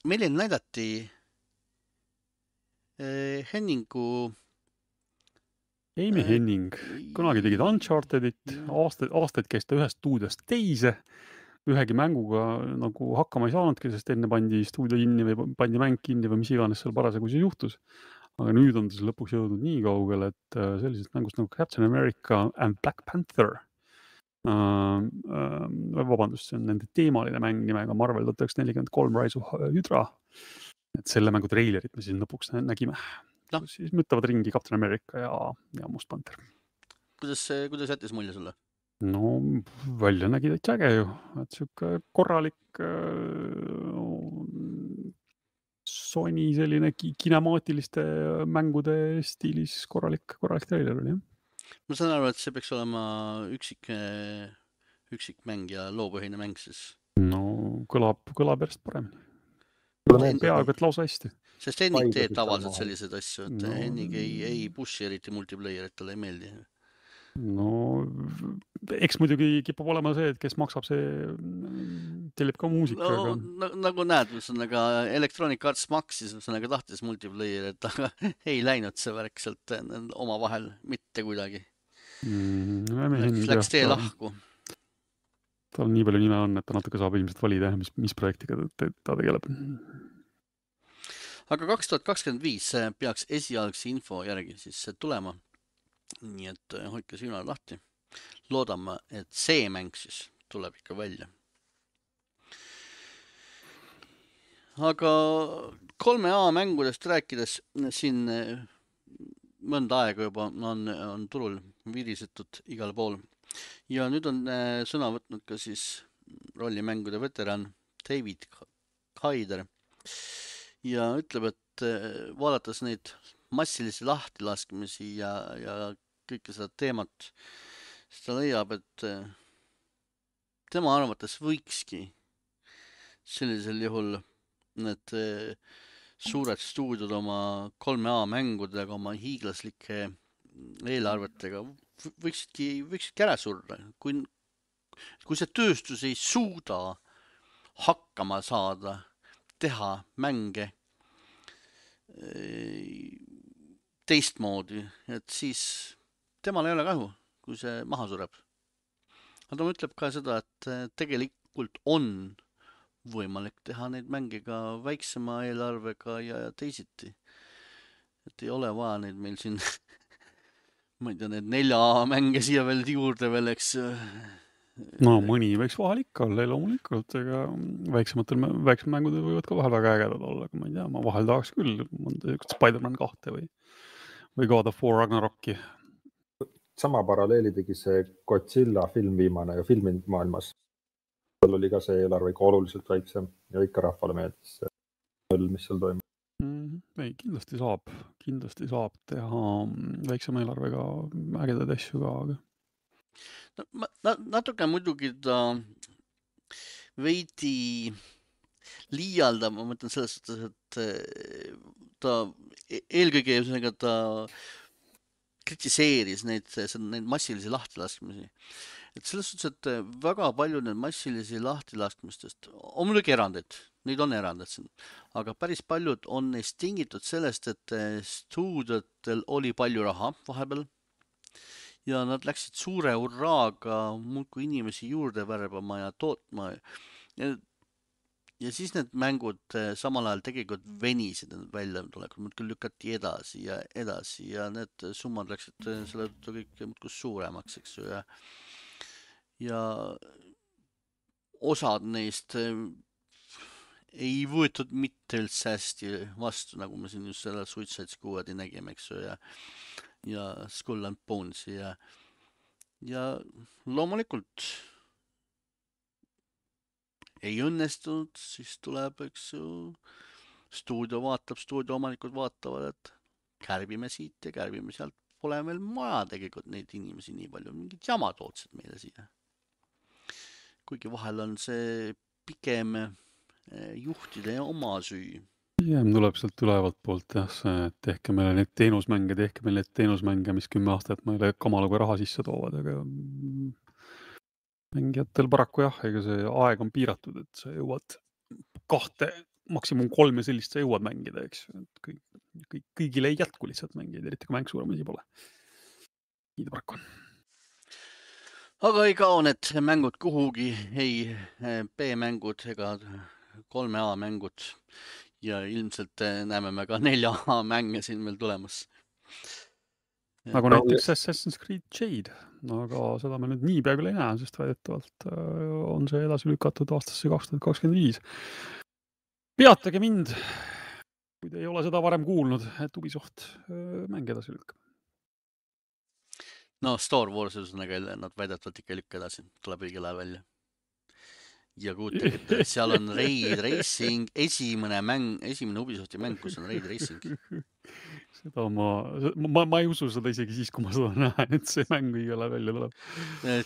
meile näidati Henningu Amy Henning, kunagi tegid Unchartedit, aastaid, aastaid käis ta ühest stuudiost teise, ühegi mänguga nagu hakkama ei saanudki, sest enne pandi stuudio kinni või pandi mäng kinni või mis iganes seal parasjagu see juhtus. Aga nüüd on ta lõpuks jõudnud nii kaugele, et sellisest mängust nagu Captain America and Black Panther Uh, uh, vabandust, see on nende teemaline mäng nimega Marvel tuhat üheksasada nelikümmend kolm Rise of Hydra. Et selle mängu treilerit me siis lõpuks nägime. No. Siis müttavad ringi Captain America ja, ja Must Panther. Kuidas, kuidas jättis mulje sulle? No välja nägi täitsa äge ju. Et siuke korralik uh, Sony selline kinemaatiliste mängude stiilis korralik, korralik trailer oli, jah. Ma saan aru, et see peaks olema üksik, üksik mäng ja loopõhine mäng siis. No kõlab, kõlab järjest paremini. Peaaegu, et lausa hästi. Sest Hennik teeb tavaliselt sellised asju, et no, Hennik ei, ei pushi eriti multiplayerit, talle ei meeldi. No eks muidugi kipub olema see, et kes maksab, see tellib ka muusika. No, aga... nagu näed, aga Electronic Arts maksis, aga tahtis multiplayerit, aga ei läinud see värk sealt oma vahel mitte kuidagi. Mm, läks, läks tee lahku. Tal nii palju nime on, et ta natuke saab ilmselt valida, mis, mis projektiga ta, ta tegeleb. Aga kaks tuhat kakskümmend viis peaks esialgse info järgi siis tulema. Nii et hoidke silmad lahti. Loodame, et see mäng siis tuleb ikka välja. Aga kolme A mängudest rääkides siin mõnda aega juba on, on turul virisetud igal pool. Ja nüüd on sõna võtnud ka siis rollimängude veteran David Haider. Ja ütleb, et vaadates neid massilisi lahtilaskmisi ja, ja kõike seda teemat, siis ta leiab, et tema arvates võikski sellisel juhul need suured stuudiod oma kolme A mängudega, oma hiiglaslike eelarvetega võiksidki, võiksidki ära surra. Kui, kui see tööstus ei suuda hakkama saada, teha mänge teistmoodi, et siis temal ei ole kahju, kui see maha sureb. Aga ta ütleb ka seda, et tegelikult on võimalik teha neid mänge ka väiksema eelarvega ja teisiti. Et ei ole vaja neid meil siin, ma ei tea, need nelja mänge siia veel juurde veel, eks. No mõni võiks vahel ikka olla, loomulikult, ega väiksematel väiksem mängud võivad ka vahel väga ägedad olla, aga ma ei tea, ma vahel tahaks küll Spider-Man kahte või, või God of War Ragnarokki. Sama paralleeli tegi see Godzilla film viimane ja filminud maailmas. Seal oli ka see eelarve ikka oluliselt väiksem ja ikka rahvale meeldis see möll, mis seal toimub. Mm, ei, kindlasti saab, kindlasti saab teha väiksema eelarvega ägedaid asju ka, aga No, ma, natuke muidugi ta veidi liialdab, ma mõtlen selles suhtes, et ta eelkõige ta kritiseeris neid, neid massilisi lahtilaskmisi. Et selles suhtes, et väga palju need massilisi lahtilaskmistest on muidugi erandid, neid on erandid siin, aga päris paljud on neist tingitud sellest, et stuudiotel oli palju raha vahepeal. Ja nad läksid suure urraaga muudkui inimesi juurde värbama ja tootma. Ja, ja siis need mängud samal ajal tegelikult venisid välja tulekul, muudkui lükati edasi ja edasi ja need summad läksid selle kõik muudkui suuremaks, eks ju. Ja, ja osad neist ei võetud mitte üldse hästi vastu, nagu me siin just selle Suicide Squadi nägime, eks ju, ja ja Skull and Bones ja, ja loomulikult ei õnnestunud, siis tuleb, eks ju, stuudio vaatab, stuudio omanikud vaatavad, et kärbime siit ja kärbime sealt, pole meil maja tegelikult neid inimesi nii palju, mingid jamad ootsid meile siia. Kuigi vahel on see pigem juhtide oma süü. Pigem tuleb sealt ülevalt poolt jah, see, et tehke meile neid teenusmänge, tehke meile neid teenusmänge, mis kümme aastat meile kamaluga raha sisse toovad, aga mängijatel paraku jah, ega see aeg on piiratud, et sa jõuad kahte, maksimum kolme sellist sa jõuad mängida, eks. Et kõik, kõik, kõigil ei jätku lihtsalt mängida, eriti kui mäng suuremasi pole. Nii ta paraku on. Aga ei kao need mängud kuhugi, ei B-mängud ega kolme A mängud. Ja ilmselt näeme me ka nelja A mänge siin veel tulemas. Nagu näiteks Assassin's Creed Jade, aga seda me nüüd nii peaaegu ei näe, sest väidetavalt on see edasi lükatud aastasse kaks tuhat kakskümmend viis. Peatage mind, kui te ei ole seda varem kuulnud, et Ubisoft mäng edasi lükkab. No Star Wars, nad väidetavalt ikka lükka edasi, tuleb õigel ajal välja. ja kujutage ette, seal on Raid Racing, esimene mäng, esimene Ubisofti mäng, kus on Raid Racing. Seda ma, ma, ma ei usu seda isegi siis, kui ma seda näen, et see mäng igale välja tuleb.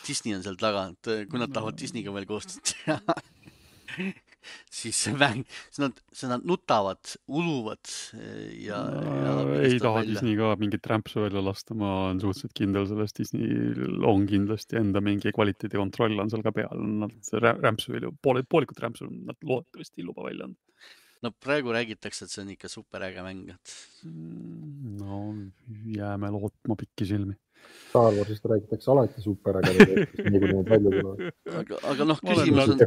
Disney on seal taga, et kui nad tahavad Disneyga veel koostööd teha, siis see mäng, siis nad, siis nad nutavad, uluvad ja, ja ei taha välja. Disney ka mingit rämpsu välja lasta, ma olen suhteliselt kindel sellest. Disney on kindlasti enda mingi kvaliteedi kontroll on seal ka peal. Nad rämpsu veel, poole, poolikut rämpsu nad loodetavasti ei luba välja. No praegu räägitakse, et see on ikka superäge mäng. No jääme lootma pikki silmi. Star Warsist räägitakse alati superäge, nii kui need välja tulevad. Aga, aga noh, küsimus on...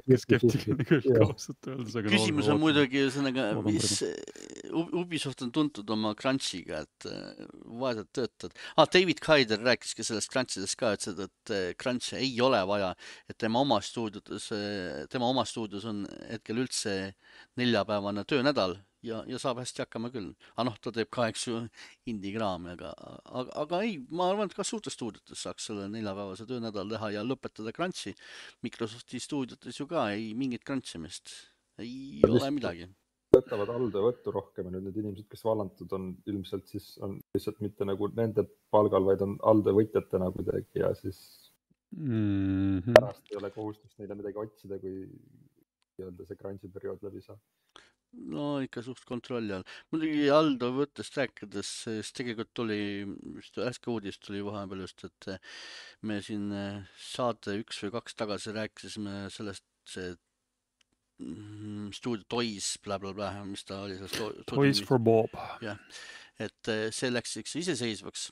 Küsimus on muidugi, mis Ubisoft on tuntud oma crunchiga, et vaesed töötad. Ah, David Kaider rääkis ka sellest crunchidest ka, et seda, et crunch ei ole vaja, et tema oma stuudios, tema oma stuudios on hetkel üldse neljapäevane töönädal ja, ja saab hästi hakkama küll. Aga noh, ta teeb ka, eks ju, indie-kraami, aga, aga, aga ei, ma arvan, et ka suurtes stuudiotes saaks selle neljapäevase töönädal teha ja lõpetada crunchi. Microsofti stuudiotes ju ka ei mingit crunchimist. Ei ole midagi. Võtavad alde võttu rohkem ja nüüd need inimesed, kes valantud on, ilmselt siis on lihtsalt mitte nagu nende palgal, vaid on alde võitjatena kuidagi ja siis mm-hmm. pärast ei ole kohustust neile midagi otsida, kui öelda see crunchi periood läbi saab. No ikka suht kontrolli all. Muidugi Aldo võttest rääkides, sest tegelikult tuli, just äske uudist tuli vahepeal just, et me siin saate üks või kaks tagasi rääkisime sellest, see stuudio Toys, bla bla bla, mis ta oli sellest Toys for Bob. Ja, et see läks iseseisvaks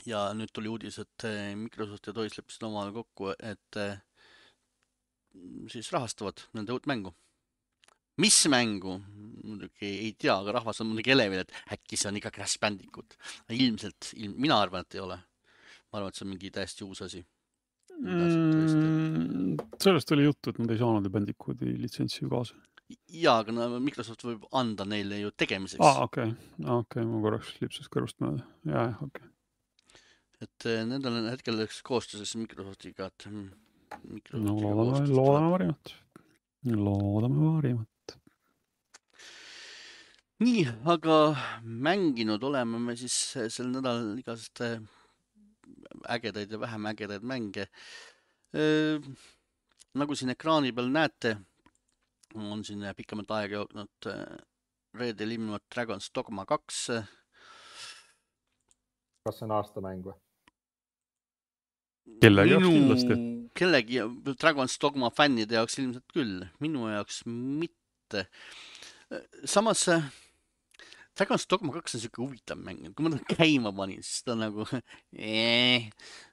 ja nüüd tuli uudis, et Microsoft ja Toys leppisid omale kokku, et siis rahastavad nende uut mängu. Mis mängu? Muidugi ei tea, aga rahvas on muidugi elevil, et äkki see on ikka Crash Bandicoot. Ilmselt, ilm, mina arvan, et ei ole. Ma arvan, et see on mingi täiesti uus asi. Mm, sellest oli juttu, et nad ei saanud Bandicooti litsentsi ju kaasa. Jaa, aga no, Microsoft võib anda neile ju tegemiseks. Aa, okei. Okay. Okay, ma korraks lipsas kõrvust mööda. Jaa, okei. Okay. Et nendel on hetkel koostööses Microsoftiga, et Microsoftiga no, loodame, loodame varimat. Loodame varimat. Nii, aga mänginud oleme me siis sel nädal igast ägedaid ja vähem ägedaid mänge. E, nagu siin ekraani peal näete, on siin pikemalt aega jõudnud reedel ilmunud Dragon's Dogma kaks. Kas see on aastamäng või? Kellegi jaoks kindlasti. Kellegi Dragon's Dogma fännide jaoks ilmselt küll, minu jaoks mitte. Samas Dragon's Dogma kaks on siuke huvitav mäng, kui ma ta käima panin, siis ta nagu ee,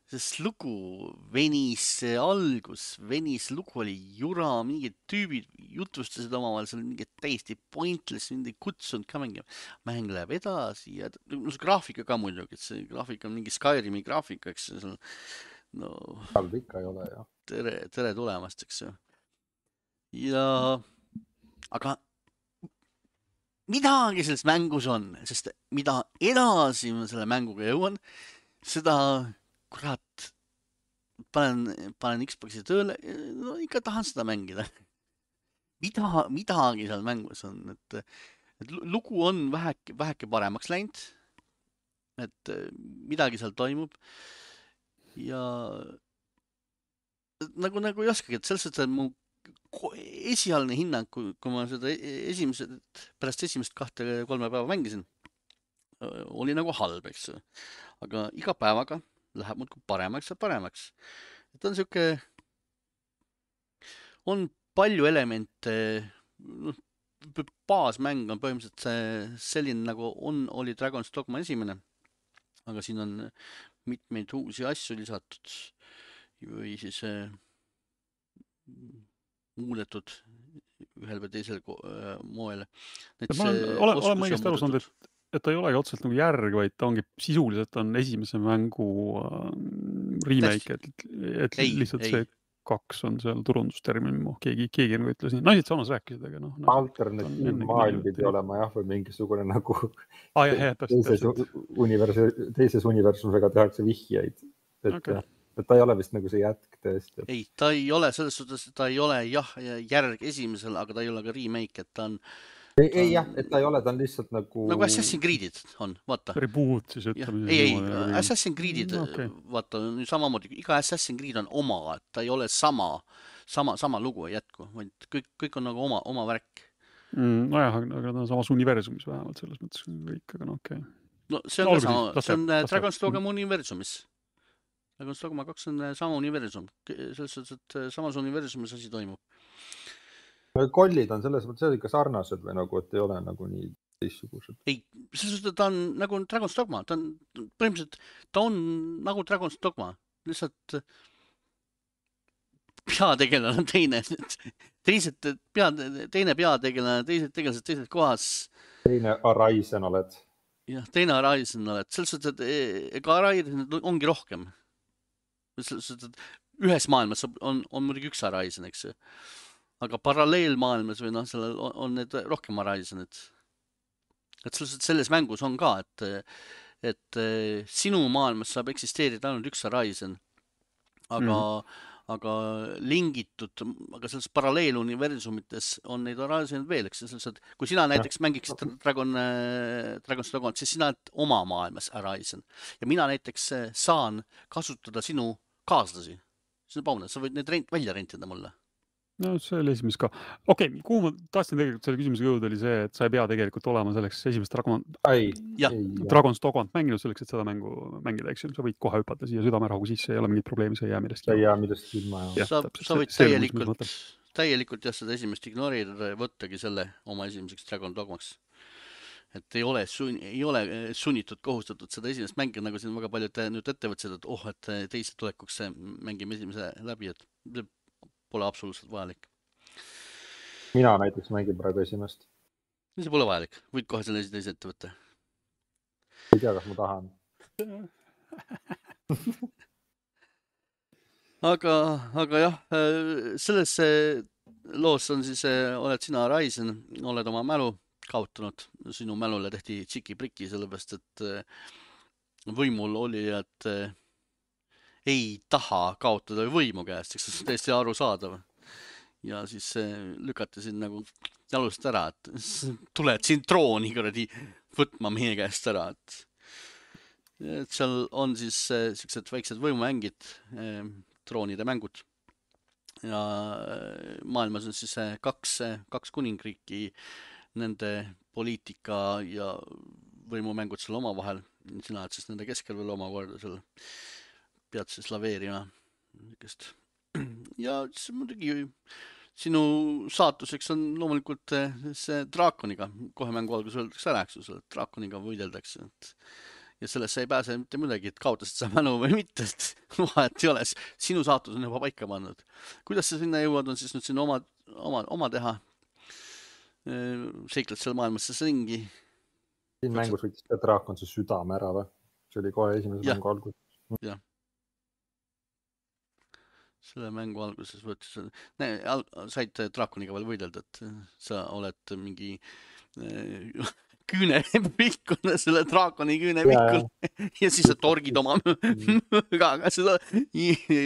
sest lugu venis, algus venis, lugu oli jura, mingid tüübid jutvustasid omavahel, seal mingid täiesti pointless, mind ei kutsunud ka mängima. Mäng läheb edasi ja no, see graafika ka muidugi, et see graafika on mingi Skyrimi graafika, eks see no, halb ikka ei ole, jah. Tere, tere tulemast, eks ju. Ja aga midagi selles mängus on, sest mida edasi ma selle mänguga jõuan, seda kurat panen, panen Xboxi tööle, no ikka tahan seda mängida. Mida, midagi seal mängus on, et, et lugu on väheke, väheke paremaks läinud, et midagi seal toimub ja nagu, nagu ei oskagi, et selles suhtes, et mu esialgne hinnang, kui, kui ma seda esimesed, pärast esimest kahte kolme päeva mängisin, oli nagu halb, eks. Aga iga päevaga läheb muudkui paremaks ja paremaks. Et on siuke, on palju elemente, noh, baasmäng on põhimõtteliselt selline, nagu on, oli Dragon's Dogma esimene, aga siin on mitmeid uusi asju lisatud või siis muudetud ühel või teisel moel. Ma olen, olen mõigest aru saanud, et, et ta ei olegi otseselt nagu järg, vaid ta ongi sisuliselt on esimese mängu uh, remake, et, et ei, lihtsalt ei. See kaks on seal turundustermin, keegi, keegi nagu ütles nii. Naised samas rääkisid, aga noh. Alternatiiv maailm pidi olema jah, või mingisugune nagu ah, jah, jah, täpselt, teises, täpselt. Universu, teises universusega tehakse vihjeid. Et, okay. et ta ei ole vist nagu see jätk tõesti. Ei, ta ei ole selles suhtes, ta ei ole jah järg esimesel, aga ta ei ole ka remake, et ta on ei, ei jah, et ta ei ole, ta on lihtsalt nagu nagu Assassin's Creed'id on, vaata. Reboot siis ütleme. Ei, ei, Assassin's Creed'id okay. Vaata, samamoodi, iga Assassin's Creed on oma, et ta ei ole sama sama, sama lugu ei jätku, vaid kõik, kõik on nagu oma, oma värk. Mm, nojah, aga ta on samas universumis vähemalt selles mõttes kõik, aga no okei. Okay. No see on no, ka sama, see on Dragon's Dogma universumis. Dragon's Dogma kaks on sama universum. Selles suhtes, et samas universumis asi toimub. Kollid on selles mõttes ikka sarnased või nagu, et ei ole nagu nii teistsugused? Ei, selles suhtes, et ta on nagu Dragon's Dogma. Ta on põhimõtteliselt, ta on nagu Dragon's Dogma. Lihtsalt peategelane on teine. Teised pead, teine peategelane, teised tegelased teises kohas. Teine Arisen oled. Jah, teine Arisen oled. Selles suhtes, et ega Arisen ongi rohkem. Selles suhtes, et ühes maailmas on, on muidugi üks Arisen, eks ju. Aga paralleelmaailmas või noh, sellel on, on need rohkem Arisenid. Et selles, selles mängus on ka, et, et sinu maailmas saab eksisteerida ainult üks Arisen. Aga mm. aga lingitud, aga selles paralleeluniversumites on neid Arisenid veel, eks selles, et kui sina näiteks mängiksid Dragon, Dragon's Dogma, siis sina oled oma maailmas Arisen. Ja mina näiteks saan kasutada sinu kaaslasi. See on paune, sa võid need rent, välja rentida mulle. No see oli esimest ka. Okei, okay, kuhu ma tahtsin tegelikult selle küsimusega jõuda oli see, et sa ei pea tegelikult olema selleks esimest Dragon... ei, ei, Dragon's Dogma mänginud selleks, et seda mängu mängida, eks ju. Sa võid kohe hüpata siia südamerahugu sisse, ei ole mingit probleemi, sa ei jää millestki. Ei jää millestki ilma. Ja, sa, sa võid täielikult, täielikult jah, seda esimest ignoreerida ja võttagi selle oma esimeseks Dragon Dogmaks. Et ei ole, sun, ei ole sunnitud kohustatud seda esimest mängi, nagu siin väga paljud nüüd ettevõtsid, et oh, et teise tulekuks mängime esimese läbi, et pole absoluutselt vajalik. Mina näiteks mängin praegu esimest. See pole vajalik. Võid kohe selle teise ette võtta. Ei tea, kas ma tahan. aga, aga jah, selles loos on siis, oled sina Arisen, oled oma mälu kaotanud. Sinu mälule tehti tšiki-priki, sellepärast, et võimul oli, et ei taha kaotada võimu käest, eks see on täiesti arusaadav. Ja siis lükati siin nagu jalust ära, et tuled siin trooni kuradi võtma meie käest ära. Et, et seal on siis sellised väiksed võimumängid, troonide mängud. Ja maailmas on siis kaks, kaks kuningriiki, nende poliitika ja võimumängud seal oma vahel. Sina oled siis nende keskel veel omakorda seal pead siis laveerima. Ja siis muidugi sinu saatuseks on loomulikult see draakoniga. Kohe mängu alguses öeldakse ära, eks ju, draakoniga võideldakse. Ja sellest ei pääse mitte midagi, et kaotasid sa mälu või mitte. Vahet ei ole, sinu saatus on juba paika pannud. Kuidas sa sinna jõuad, on siis nüüd sinu oma, oma, oma teha? Seikled seal maailmas see ringi. Siin mängus võitis ka draakon see südame ära või? See oli kohe esimese mängu alguses. Jah. Selle mängu alguses võttis, said draakoniga veel võidelda, et sa oled mingi küüne pikkune, selle draakoni küüne pikkune ja siis sa torgid oma möögaga seda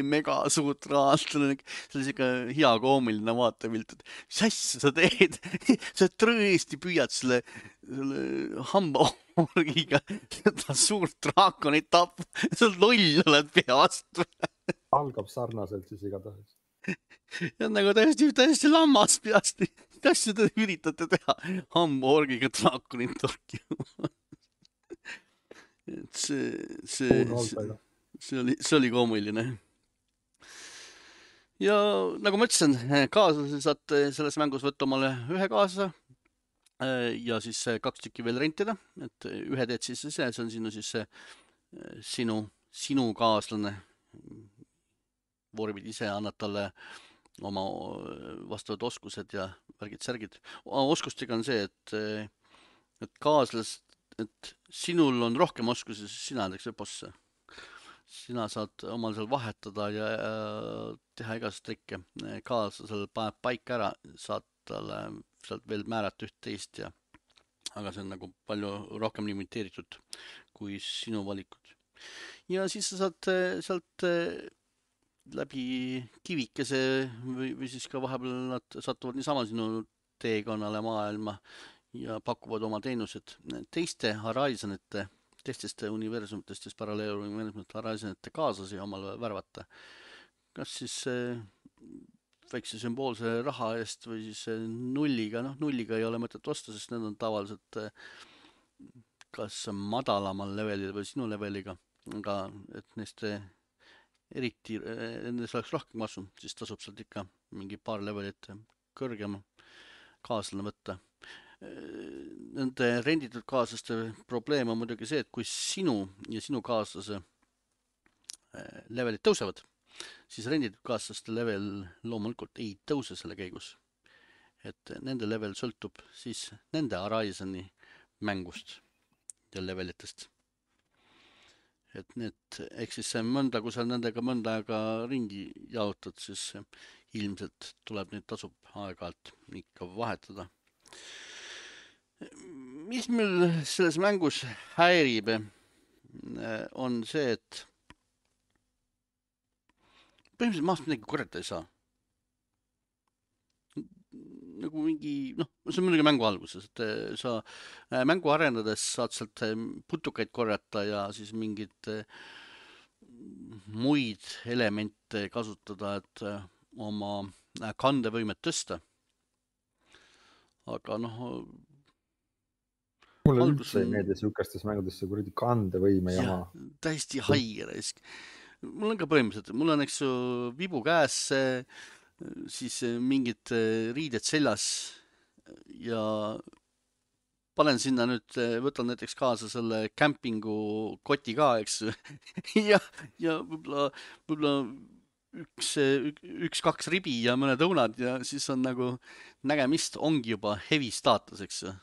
mega suurt raalt. See oli siuke hea koomiline vaatepilt, et mis asja sa teed? Sa tõesti püüad selle, selle hambaorgiga seda suurt draakonit tappa. Sa loll oled peast. Algab sarnaselt siis igatahes. Ja nagu täiesti, täiesti lammas peast. Kas seda üritate teha? Hambaorgiga draakonit torkima. Et see, see, see, see, oli, see oli koomiline. Ja nagu ma ütlesin, kaaslase saad selles mängus võtta omale ühe kaasa ja siis kaks tükki veel rentida. Et ühe teed siis see, see on sinu, siis sinu, sinu kaaslane. Vormid ise annad talle oma vastavad oskused ja värgid-särgid. Oskustega on see, et, et kaaslas, et sinul on rohkem oskusi, siis sina näiteks bosse. Sina saad omal seal vahetada ja teha igast trikke. Kaaslasel paneb paika ära, saad talle sealt veel määrata üht teist ja aga see on nagu palju rohkem limiteeritud kui sinu valikud. Ja siis sa saad sealt läbi kivikese või, või siis ka vahepeal nad satuvad niisama sinu teekonnale maailma ja pakuvad oma teenused teiste Horizonite, teistest universumitest, siis paralleeluniversumite Horizonite kaaslasi omal värvata. Kas siis väikse sümboolse raha eest või siis nulliga, noh nulliga ei ole mõtet osta, sest need on tavaliselt kas madalamal levelil või sinu leveliga, aga et neist eriti, nendes oleks rohkem kasu, siis tasub sealt ikka mingi paar levelit kõrgema kaaslane võtta. Nende renditud kaaslaste probleem on muidugi see, et kui sinu ja sinu kaaslase levelid tõusevad, siis renditud kaaslaste level loomulikult ei tõuse selle käigus. Et nende level sõltub siis nende Horizoni mängust ja levelitest. Et need, ehk siis see mõnda, kui sa nendega mõnda aega ringi jaotad, siis ilmselt tuleb neid tasub aeg-ajalt ikka vahetada. Mis meil selles mängus häirib, on see, et põhimõtteliselt maast midagi korjata ei saa. Nagu mingi, noh, see on muidugi mängu alguses, et sa mängu arendades saad sealt putukaid korjata ja siis mingid muid elemente kasutada, et oma kandevõimet tõsta. Aga noh... Mulle üldse ei meeldi sihukestes mängudesse kuradi kandevõime ja jama. Täiesti haige raisk. Mul on ka põhimõtteliselt, mul on eks ju vibu käes, siis mingid riided seljas ja panen sinna nüüd, võtan näiteks kaasa selle kämpingu koti ka, eks ja, ja võib-olla, võib-olla üks, üks, kaks ribi ja mõned õunad ja siis on nagu nägemist ongi juba heavy staatus, eks ju.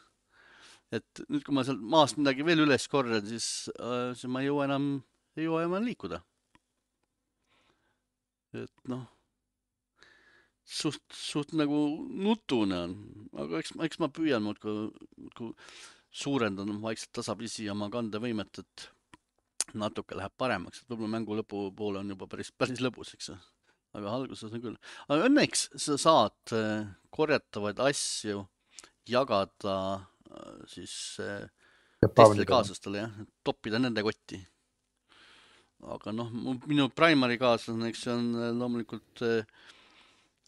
Et nüüd, kui ma seal maast midagi veel üles korran, siis, siis ma ei jõua enam, ei jõua enam liikuda. Et noh, suht, suht nagu nutune on, aga eks, eks ma püüan muudku, muudku suurendan vaikselt tasapisi oma kandevõimet, et natuke läheb paremaks, et võib-olla mängu lõpu poole on juba päris, päris lõbus, eks. Aga alguses on küll. Aga õnneks sa saad korjatavaid asju jagada siis teistele kaaslastele, jah, toppida nende kotti. Aga noh, minu primary kaaslane, eks see on loomulikult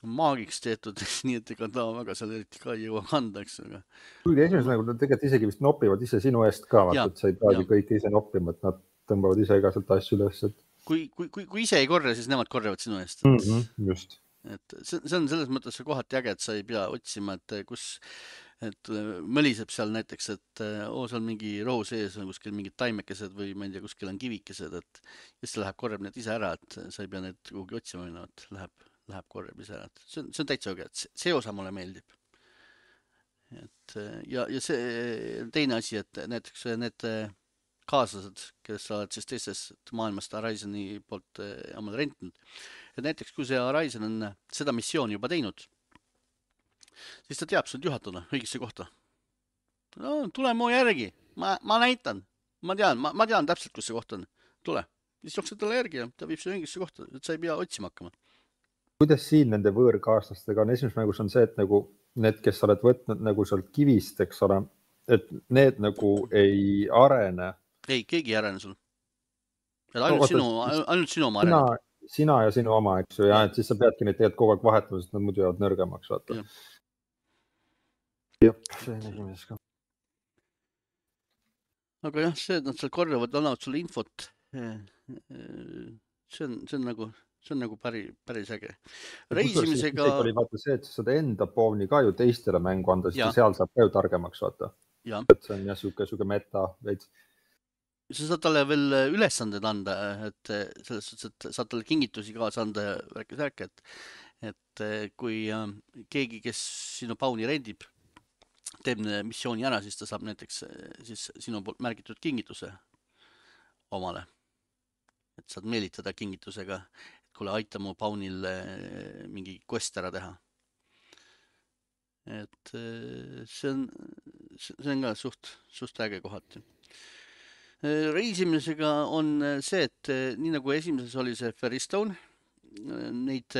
maagiks tehtud, nii et ega ta väga seal eriti ka ei jõua kanda, eks. Aga... Kuigi esimesel nagu tegelikult isegi vist nopivad ise sinu eest ka, vaata, et sa ei peagi kõik ise noppima, et nad tõmbavad ise ka sealt asju üles. Et... Kui, kui, kui, kui ise ei korja, siis nemad korjavad sinu eest. Mm -hmm, just. Et see, see on selles mõttes see kohati äge, et sa ei pea otsima, et kus et mõliseb seal näiteks, et oo, seal mingi rohu sees on kuskil mingid taimekesed või ma ei tea, kuskil on kivikesed, et siis läheb korjab need ise ära, et sa ei pea need kuhugi otsima minna, et läheb, läheb korjab ise ära. See on, see on täitsa õge, et see osa mulle meeldib. Et, ja, ja see teine asi, et näiteks need kaaslased, kes sa oled siis teistest maailmast Horizoni poolt omale rentinud, et näiteks kui see Horizon on seda missiooni juba teinud, siis ta teab sind juhatada õigesse kohta. No, tule mu järgi, ma, ma näitan, ma tean, ma, ma tean täpselt, kus see koht on. Tule, siis jooksed talle järgi ja ta viib su õigesse kohta, et sa ei pea otsima hakkama. Kuidas siin nende võõrkaaslastega on? Esimeses mängus on see, et nagu need, kes sa oled võtnud nagu sealt kivist, eks ole, et need nagu ei arene. Ei, keegi ei arene sul. Ainult, no, sinu, siis, ainult sinu oma sina, arene. Sina ja sinu oma, eks ju, ja et siis sa peadki neid tegelikult kogu aeg vahetama, sest nad muidu jäävad nõrgemaks, vaata. Ja. Jah, see on esimeses ka. Aga jah, see, et nad seal korjavad, annavad sulle infot, see on, see on nagu, see on nagu päri, päris äge. Reisimisega... See oli vaata see, et sa saad enda pooni ka ju teistele mängu anda, sest seal saab ka ju targemaks, vaata. Ja. Et see on jah suke, suke meta veits. Sa saad talle veel ülesanded anda, et selles suhtes, et saad talle kingitusi kaasa anda ja rääkis rääk, et, et kui keegi, kes sinu pauni rendib, teeb missiooni ära, siis ta saab näiteks siis sinu poolt märgitud kingituse omale. Et saad meelitada kingitusega, et kuule, aita mu paunil mingi quest ära teha. Et see on, see on ka suht, suht äge kohati. Reisimisega on see, et nii nagu esimeses oli see Ferrystone neid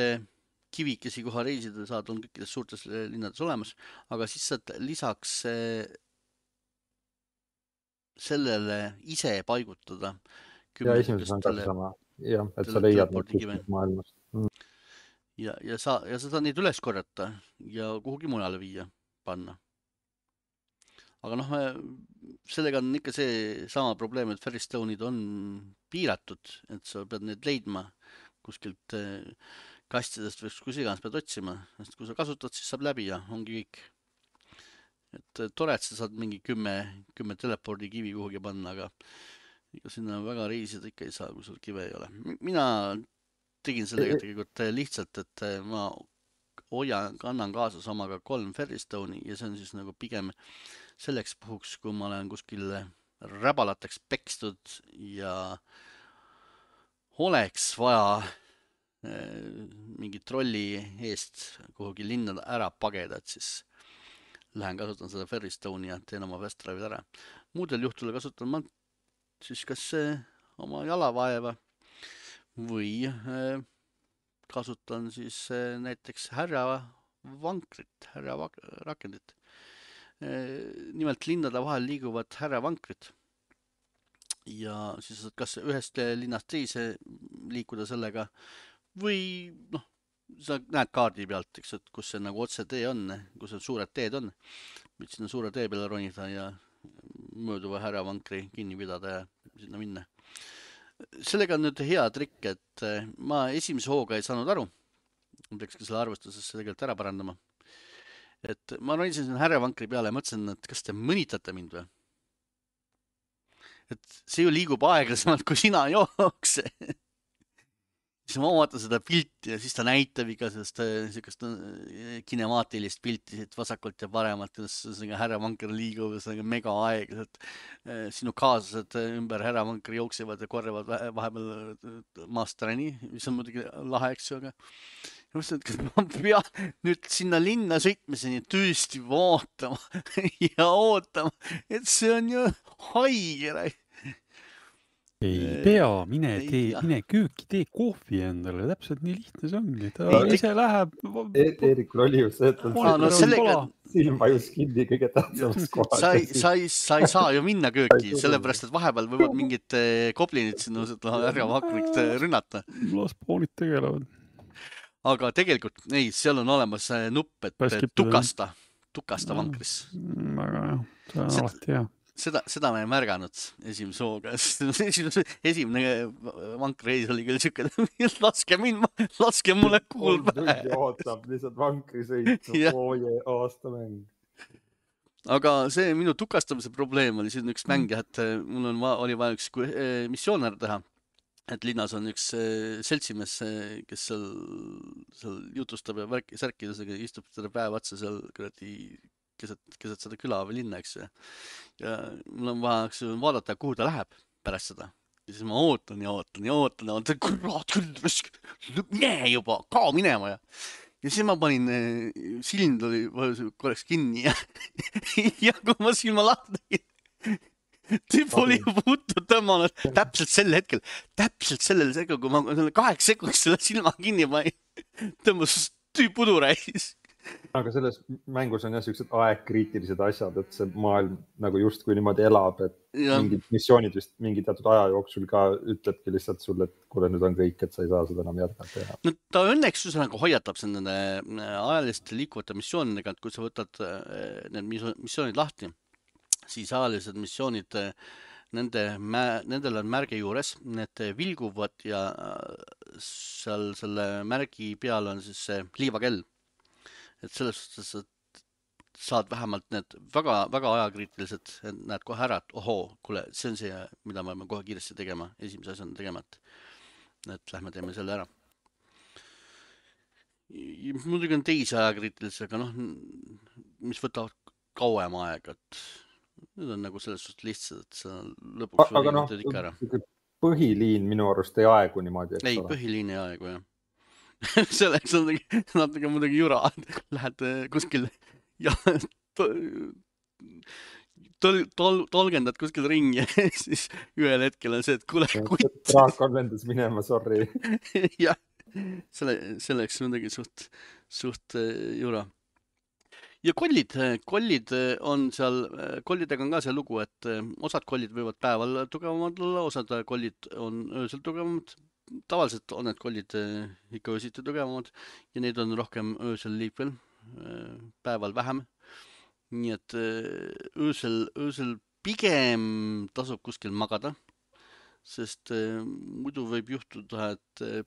kivikesi koha reisida saad, on kõikides suurtes linnades olemas, aga siis saad lisaks sellele ise paigutada. Ja esimeses on ka sama, jah, et sa leiad neid kuskilt maailmast. Ja, ja, sa, ja sa saad neid üles korjata ja kuhugi mujale viia, panna. Aga noh, sellega on ikka see sama probleem, et Ferristone'id on piiratud, et sa pead neid leidma kuskilt kastidest või kus iganes pead otsima, sest kui sa kasutad, siis saab läbi ja ongi kõik. Et tore, et sa saad mingi kümme, kümme telepordi kivi kuhugi panna, aga ikka sinna väga reisida ikka ei saa, kui sul kive ei ole. Mina tegin sellega tegelikult lihtsalt, et ma hoian, kannan kaasas omaga kolm Ferristone'i ja see on siis nagu pigem selleks puhuks, kui ma olen kuskil räbalateks pekstud ja oleks vaja mingi trolli eest kuhugi linna ära pageda, et siis lähen kasutan seda Ferristone'i ja teen oma fast drive'id ära. Muudel juhtudel kasutan ma siis kas oma jalavaeva või kasutan siis näiteks härra vankrit, härra rakendit. Nimelt linnade vahel liiguvad härra vankrid ja siis saad kas ühest linnast teise liikuda sellega või noh, sa näed kaardi pealt, eks, et kus see nagu otse tee on, kus need suured teed on. Võid sinna suure tee peale ronida ja mööduva härra vankri kinni pidada ja sinna minna. Sellega on nüüd hea trikk, et ma esimese hooga ei saanud aru. Ma peaks ka selle arvestusesse tegelikult ära parandama. Et ma ronisin sinna härra vankri peale ja mõtlesin, et kas te mõnitate mind või? Et see ju liigub aeglasemalt, kui sina jookse. Siis ma vaatan seda pilti ja siis ta näitab ikka sellist kinemaatilist pilti siit vasakult ja paremalt, kuidas härra vanker liigub ja see on mega aeglaselt. Sinu kaaslased ümber härra vanker jooksevad ja korrevad vahepeal masterani, mis on muidugi lahe, eks ju, aga ja mõtlesin, et kas ma pean nüüd sinna linna sõitmiseni tõesti vaatama ja ootama, et see on ju haige. Ei pea, mine, tee, mine kööki, tee kohvi endale, täpselt nii lihtne see ongi. Ta ei, ise läheb... Eerikul oli ju see, et on ah, no sellega... silmvajus kinni kõige tähtsamast kohast. Sa ei, sa, ei, sa ei saa ju minna kööki, sellepärast, et vahepeal võivad mingid goblinid sinna ära vakrikt rünnata. Las poonid tegelevad. Aga tegelikult, ei, seal on olemas nupp, et Pääskip tukasta, tukasta no, vankris. Väga jah, see on alati hea. Seda, seda ma ei märganud esimese hooga. Esimene vankreis oli küll siuke, laske mind, laske mulle kuul pähe. Ootab lihtsalt vankri sõitu, ooje aastamäng. Aga see minu tukastamise probleem oli siin üks mäng, et mul on, oli vaja üks missioon ära teha. Et linnas on üks seltsimees, kes seal, seal jutustab ja värki, särkidusega istub seda päev otsa seal kuradi keset, keset seda küla või linna, eks. Ja mul on vaja vaadata, kuhu ta läheb pärast seda. Ja siis ma ootan ja ootan ja ootan ja ootan, kurat küll, mine juba, kao minema. Ja, ja siis ma panin, silmd oli korraks kinni ja, ja kui ma silma lahti tegin, tüüp oli puutu tõmmanud täpselt sel hetkel, täpselt sellel hetkel, kui ma kaheks sekuks selle silma kinni panin, tõmbas tüüp uduräis. Aga selles mängus on jah siuksed aegkriitilised asjad, et see maailm nagu justkui niimoodi elab, et ja. Mingid missioonid vist mingi teatud aja jooksul ka ütlebki lihtsalt sulle, et kuule nüüd on kõik, et sa ei saa seda enam jätkata. No ta õnneks ju nagu hoiatab nende ajaliste liikuvate missioonidega, et kui sa võtad need missioonid lahti, siis ajalised missioonid, nende, nendel on märge juures, need vilguvad ja seal selle märgi peal on siis see liivakell. Et selles suhtes, et saad vähemalt need väga, väga ajakriitilised, näed kohe ära, et ohoo, kuule, see on see, mida me kohe kiiresti tegema, esimese asjana tegema, et, et lähme teeme selle ära. Muidugi on teisi ajakriitilised, aga noh, mis võtavad kauem aega, et need on nagu selles suhtes lihtsad, et sa lõpuks aga noh, põhiliin minu arust ei aegu niimoodi. Ei, põhiliin ei aegu, jah. Selleks on natuke muidugi jura, lähed kuskil ja tol, tol, tolgendad kuskil ringi ja siis ühel hetkel on see, et kuule, kutt. Draakon lendas minema, sorry. Ja, selle, selleks on midagi suht, suht äh, jura. Ja kollid, kollid on seal, kollidega on ka see lugu, et äh, osad kollid võivad päeval tugevamad olla, osad kollid on öösel tugevamad. Tavaliselt on need kollid äh, ikka öösiti tugevamad ja neid on rohkem öösel liikvel, äh, päeval vähem. Nii et äh, öösel, öösel pigem tasub kuskil magada, sest äh, muidu võib juhtuda, et äh,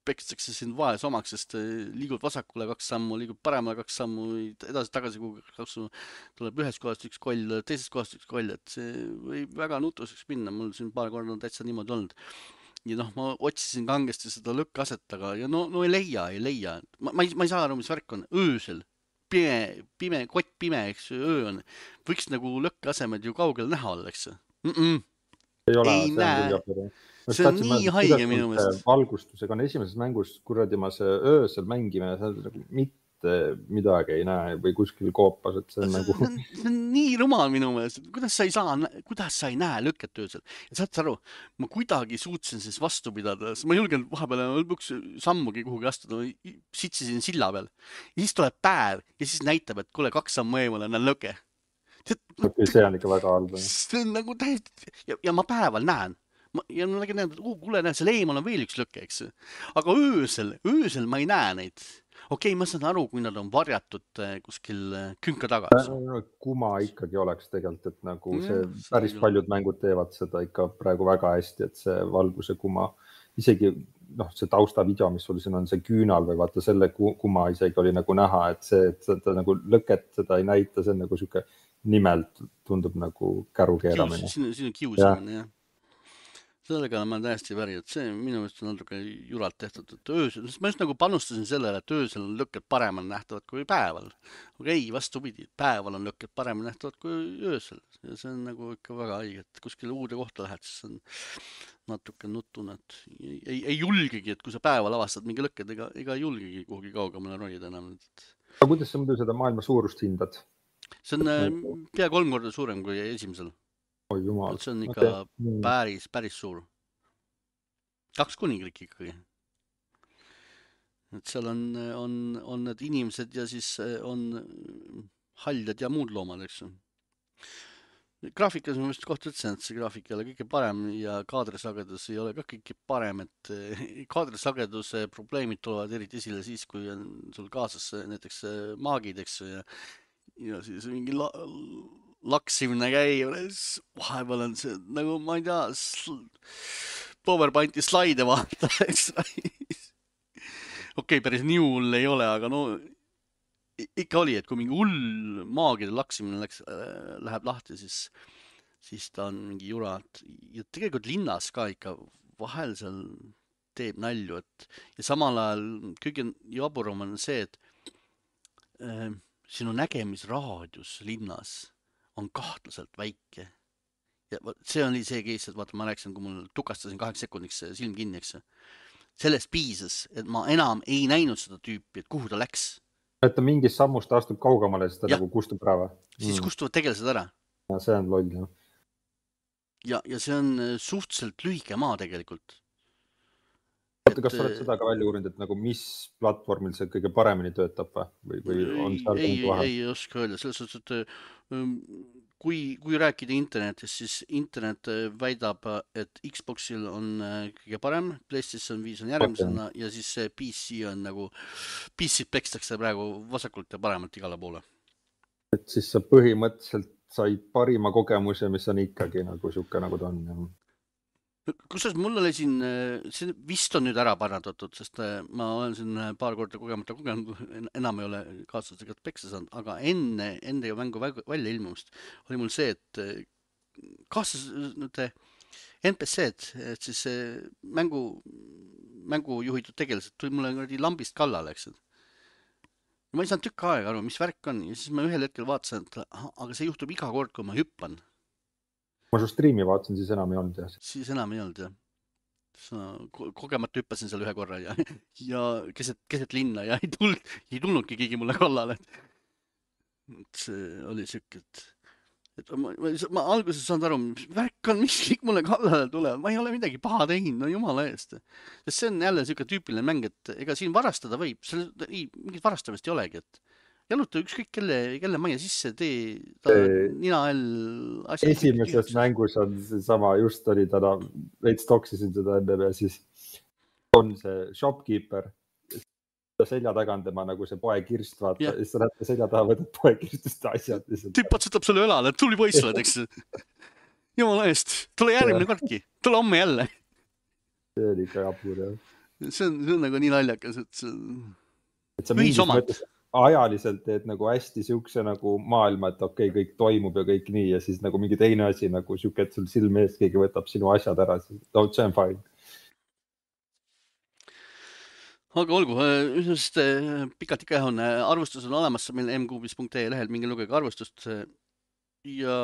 pekstakse sind vaes omaks, sest äh, liigud vasakule kaks sammu, liigub paremale kaks sammu, edasi-tagasi kuhugi kaks sammu, tuleb ühest kohast üks koll, teisest kohast üks koll, et see võib väga nutuseks minna, mul siin paar korda on täitsa niimoodi olnud. Ja noh, ma otsisin kangesti seda lõkkaset, aga ja no, no ei leia, ei leia. Ma, ma, ei, ma ei saa aru, mis värk on. Öösel, pime, pime, kott pime, eks öö on. Võiks nagu lõkkasemed ju kaugel näha olla, eks mm -mm. ei ole, ei see näe. on, See on nii haige minu meelest. Valgustusega on esimeses mängus, kuradi ma see öösel mängime, see nagu mitte midagi ei näe või kuskil koopas, et see on see, nagu... see, on, see on nii rumal minu meelest, kuidas sa ei saa, kuidas sa ei näe lükket öösel. Ja saad sa aru, ma kuidagi suutsin siis vastu pidada, ma julgen vahepeal lõpuks sammugi kuhugi astuda, sitsisin silla peal. Ja siis tuleb päev ja siis näitab, et kuule, kaks sammu eemale on lõke. Okay, see on ikka väga halb. See on nagu täiesti... Ja, ja ma päeval näen. Ma, ja ma nägin, et uh, kuule, näed, seal eemal on veel üks lõke, eks. Aga öösel, öösel ma ei näe neid. Okei, okay, ma saan aru, kui nad on varjatud kuskil künka taga. Kuma ikkagi oleks tegelikult, et nagu see päris paljud mängud teevad seda ikka praegu väga hästi, et see valguse kuma, isegi noh, see taustavideo, mis sul siin on see küünal või vaata selle kuma isegi oli nagu näha, et see, et seda nagu lõket seda ei näita, see on nagu siuke nimelt tundub nagu käru keeramine. Siin, siin on kiusamine, jah. Sellega ma täiesti väri, et see minu meelest on natuke juralt tehtud, et öösel, ma just nagu panustasin sellele, et öösel on lõkked paremalt nähtavad kui päeval. Aga ei, vastupidi, päeval on lõkked paremalt nähtavad kui öösel. Ja see on nagu ikka väga haige, et kuskil uude kohta lähed, siis on natuke nutune, et ei, ei, ei julgegi, et kui sa päeval avastad mingi lõkked, ega, ega ei julgegi kuhugi kaugemale ronida enam. Aga kuidas sa muidu seda maailma suurust hindad? See on pea kolm korda suurem kui esimesel. Oi jumal. See on ikka okay. päris, päris suur. Kaks kuningriik ikkagi. Et seal on, on, on need inimesed ja siis on haljad ja muud loomad, eks. Graafikas ma vist kohta ütlesin, et see graafik ei ole kõige parem ja kaadrisagedus ei ole ka kõige parem, et kaadrisageduse probleemid tulevad eriti esile siis, kui on sul kaasas näiteks maagid, eks, ja, ja siis mingi la laksimine käib, vahepeal on see, nagu ma ei tea, PowerPointi slaide vaata, eks. Okei, päris nii hull ei ole, aga no ikka oli, et kui mingi hull maagide laksimine läks, läheb lahti, siis, siis ta on mingi jura. Ja tegelikult linnas ka ikka vahel seal teeb nalju, et ja samal ajal kõige jaburam on see, et äh, sinu nägemisraadius linnas on kahtlaselt väike. Ja see oli see case, et vaata, ma rääkisin, kui mul tukastasin kaheks sekundiks silm kinni, eks. Sellest piisas, et ma enam ei näinud seda tüüpi, et kuhu ta läks. Et ta mingis sammust astub kaugemale, siis ta ja. nagu kustub ära. Siis mm. kustuvad tegelased ära. Ja see on loll, jah. Ja, ja see on suhteliselt lühike maa tegelikult. Vaata, kas sa oled seda ka välja uurinud, et nagu mis platvormil see kõige paremini töötab või, või on seal ei, ei, ei oska öelda. Selles suhtes, et kui, kui rääkida internetist, siis internet väidab, et Xboxil on kõige parem, PlayStation viis on järgmisena okay. Ja siis P C on nagu, P C-d pekstakse praegu vasakult ja paremalt igale poole. Et siis sa põhimõtteliselt said parima kogemuse, mis on ikkagi nagu siuke nagu ta on. Ja. Kusjuures mul oli siin, see vist on nüüd ära parandatud, sest ma olen siin paar korda kogemata kogenud, enam ei ole kaaslasega peksa saanud, aga enne, enne mängu välja ilmumist oli mul see, et kaaslas N P C-d, et siis mängu, mängu juhitud tegelased tuli mulle lambist kallale, eks. Ma ei saanud tükk aega aru, mis värk on, ja siis ma ühel hetkel vaatasin, et aga see juhtub iga kord, kui ma hüppan. Ma su striimi vaatasin, siis enam ei olnud, jah. Siis enam ei olnud, jah. Kogemata hüppasin seal ühe korra ja, ja keset, keset linna ja ei, tulnud, ei tulnudki keegi mulle kallale. Et see oli siuke, et, et ma, ma, ma alguses saanud aru, mis värk hakkan, mis kõik mulle kallale tulevad, ma ei ole midagi paha teinud, no jumala eest. Sest see on jälle siuke tüüpiline mäng, et ega siin varastada võib, seal ei, mingit varastamist ei olegi, et jaluta ükskõik kelle, kelle maja sisse tee, ta See- nina all asjad. esimeses mängus on seesama, just oli täna, veits toksisin seda enne ja siis on see shopkeeper, selja taga on tema nagu see poekirst, vaata, Jah. ja siis sa näed selja taha, võtad poekirstust asjad. tüüp patsutab sulle õlale, et tuli poiss oled, eks. Jumala eest, tule järgmine kordki, tule homme jälle. See oli ikka jabur, jah. See on, see on nagu nii naljakas, et see... Et sa mingis Ühisomand. mõttes ajaliselt teed nagu hästi siukse nagu maailma, et okei, okay, kõik toimub ja kõik nii ja siis nagu mingi teine asi nagu siuke, et sul silme ees keegi võtab sinu asjad ära, siis no, see on fine. Aga olgu, sest pikalt ikka on, arvustus on olemas meil m kuubis punkt ee lehel, minge lugege arvustust. Ja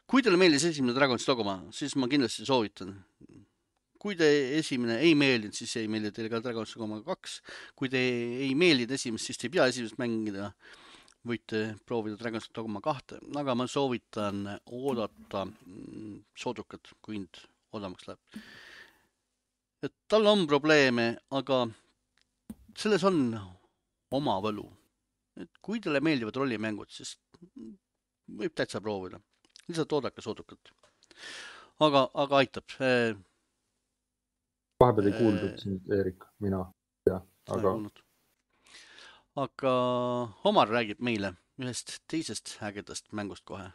kui teile meeldis esimene Dragon's Dogma, siis ma kindlasti soovitan. Kui te esimene ei meeldinud, siis ei meeldi teile ka Dragon's Dogma kaks. Kui te ei meeldinud esimest, siis te ei pea esimest mängida. Võite proovida Dragon's Dogma kahte, aga ma soovitan oodata soodukat, kui hind odavamaks läheb. Et tal on probleeme, aga selles on oma võlu. Et kui teile meeldivad rollimängud, siis võib täitsa proovida. Lihtsalt oodake soodukat. Aga, aga aitab. Vahepeal ei kuuldud sind, Eerik, mina. Ja, aga... aga Omar räägib meile ühest teisest ägedast mängust kohe.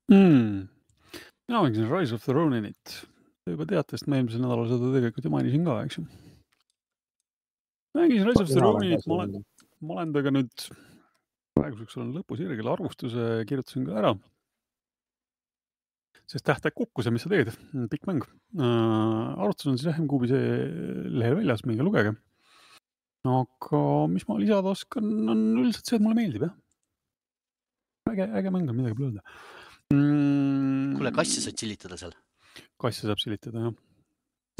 Mm. Mina mängisin Rise of the Roninit. Te juba teate, sest ma eelmisel nädalal seda tegelikult ju mainisin ka, eks ju. Mängisin Rise of the Roninit, ma olen, ma olen tega nüüd praeguseks olen lõpus järgele arvustuse kirjutasin ka ära. Sest tähtaeg kukkus ja mis sa teed? Pikk mäng. Äh, arvutus on siis M kuubis lehel väljas, minge lugege. Aga mis ma lisada oskan, on üldiselt see, et mulle meeldib, jah. Äge, äge mäng on midagi plööda. Mm. Kuule, kassi saad silitada seal? Kassi saab silitada, jah.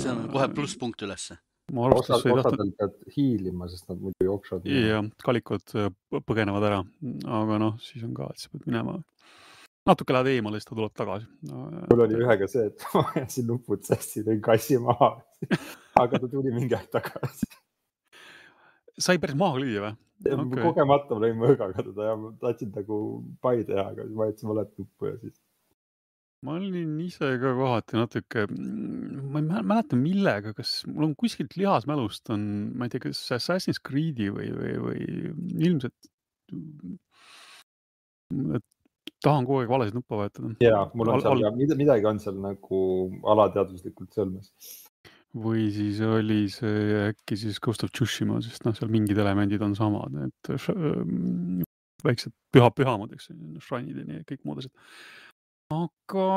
See on kohe pluss-punkt ülesse. Osad, osadel pead hiilima, sest nad muidu jooksvad. Ja kalikod põgenevad ära, aga noh, siis on ka, et sa pead minema. Natuke lähed eemale, siis ta tuleb tagasi. Mul oli ühega see, et ma jäsin nupud sassi, tõin kassi maha, aga ta tuli mingi aeg tagasi. Sai päris maha lüüa või? Okay. Kogemata ma lõin mõõgaga teda ja ma tahtsin nagu pai teha, aga ma jätsin valet nuppu ja siis. Ma olin ise ka kohati natuke, ma ei mäleta millega, kas mul on kuskilt lihasmälust on, ma ei tea, kas Assassin's Creed'i või, või, või ilmselt tahan kogu aeg valesid nuppa vahetada. Jaa, mul on seal al- midagi on seal nagu alateadvuslikult sõlmes. Või siis oli see äkki siis Ghost of Tsushima, sest noh, seal mingid elemendid on samad, et väiksed püha pühamad, eks, shrine'id ja kõik muud asjad. Aga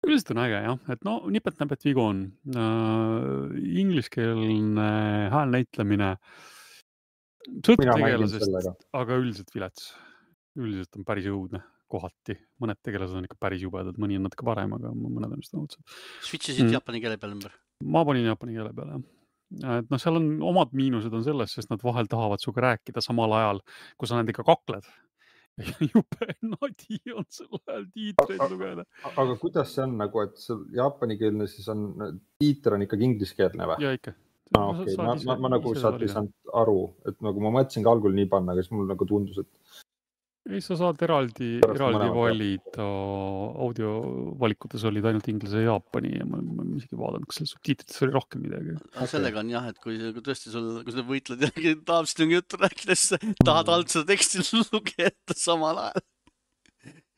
üldiselt on äge, jah, et no nipet-näpet vigu on. Uh, ingliskeelne hääl näitlemine sõltub tegelasest, aga üldiselt vilets. Üldiselt on päris õudne kohati. Mõned tegelased on ikka päris jubedad, mõni on natuke parem, aga mõned on just õudsed. Switchisid mm. japani keele peale ümber? Ma panin japani keele peale, jah. Et no seal on omad miinused on selles, sest nad vahel tahavad suga rääkida samal ajal, kui sa nad ikka kakled. Jupe nadi on sel ajal tiitreid lugeda. Aga kuidas see on nagu, et jaapanikeelne siis on, tiiter on ikkagi ingliskeelne või? Ja ikka. Ah, okay. ma, ma, ma nagu saad ei saanud aru, et nagu ma mõtlesin ka algul nii panna, aga siis mul nagu tundus, et ei, sa saad eraldi, eraldi valida, audio valikutes olid ainult inglise ja jaapani ja ma, ma isegi vaadanud, kas seal subtiitrites oli rohkem midagi. Okay. Sellega on jah, et kui, kui tõesti sul, kui sa võitled ja tahab seda juttu rääkides, tahad alt seda teksti lugeda samal ajal.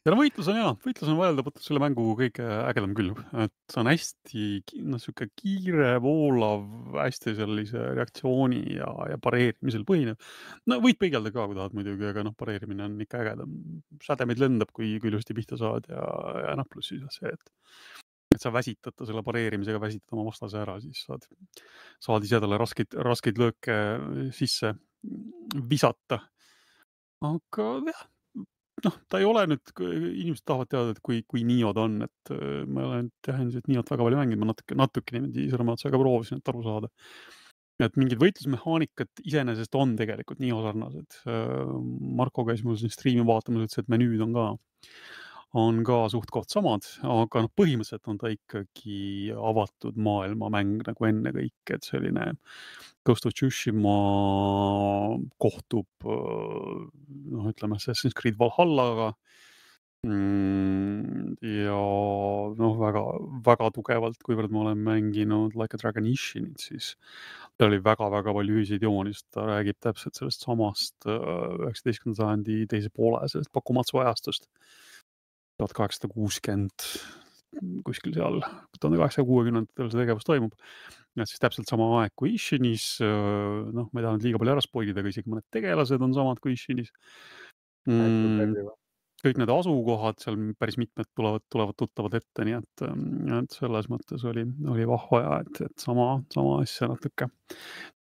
Ja no võitlus on jah, võitlus on vajaldamatult selle mängu kõige ägedam küll, et see on hästi no, siuke kiire, voolav, hästi sellise reaktsiooni ja, ja pareerimisel põhinev. No võid peigelda ka, kui tahad muidugi, aga noh, pareerimine on ikka ägedam. Sädemeid lendab, kui, kui ilusti pihta saad ja, ja noh, pluss siis see, et, et sa väsitad selle pareerimisega, väsitad oma vastase ära, siis saad, saad ise talle raskeid, raskeid lööke sisse visata. Aga jah, noh, ta ei ole nüüd, inimesed tahavad teada, et kui, kui Niod on, et ma olen tähendanud, et Niot väga palju mänginud, ma natuke, natuke niimoodi sõrmaotsaga proovisin, et aru saada. Et mingid võitlusmehaanikat iseenesest on tegelikult Nio sarnased. Marko käis mul siin striimi vaatamas, ütles, et menüüd on ka. on ka suht koht samad, aga noh, põhimõtteliselt on ta ikkagi avatud maailma mäng nagu enne kõik, et selline Ghost of Tsushima kohtub, noh, ütleme Assassin's Creed Valhallaga mm, ja noh, väga, väga tugevalt, kuivõrd ma olen mänginud Like a Dragon Ishinit, siis ta oli väga-väga palju ühiseid jooni, sest ta räägib täpselt sellest samast üheksateistkümnenda sajandi teise poole, sellest Bakumatsu ajastust. tuhat kaheksasada kuuskümmend kuskil seal, tuhande kaheksasaja kuuekümnendatel see tegevus toimub. Ja siis täpselt sama aeg kui Ishinis, noh, ma ei taha nüüd liiga palju ära spoilida, aga isegi mõned tegelased on samad kui Ishinis. Mm, kõik need asukohad seal päris mitmed tulevad, tulevad tuttavad ette, nii et, et selles mõttes oli, oli vahva ja et, et sama, sama asja natuke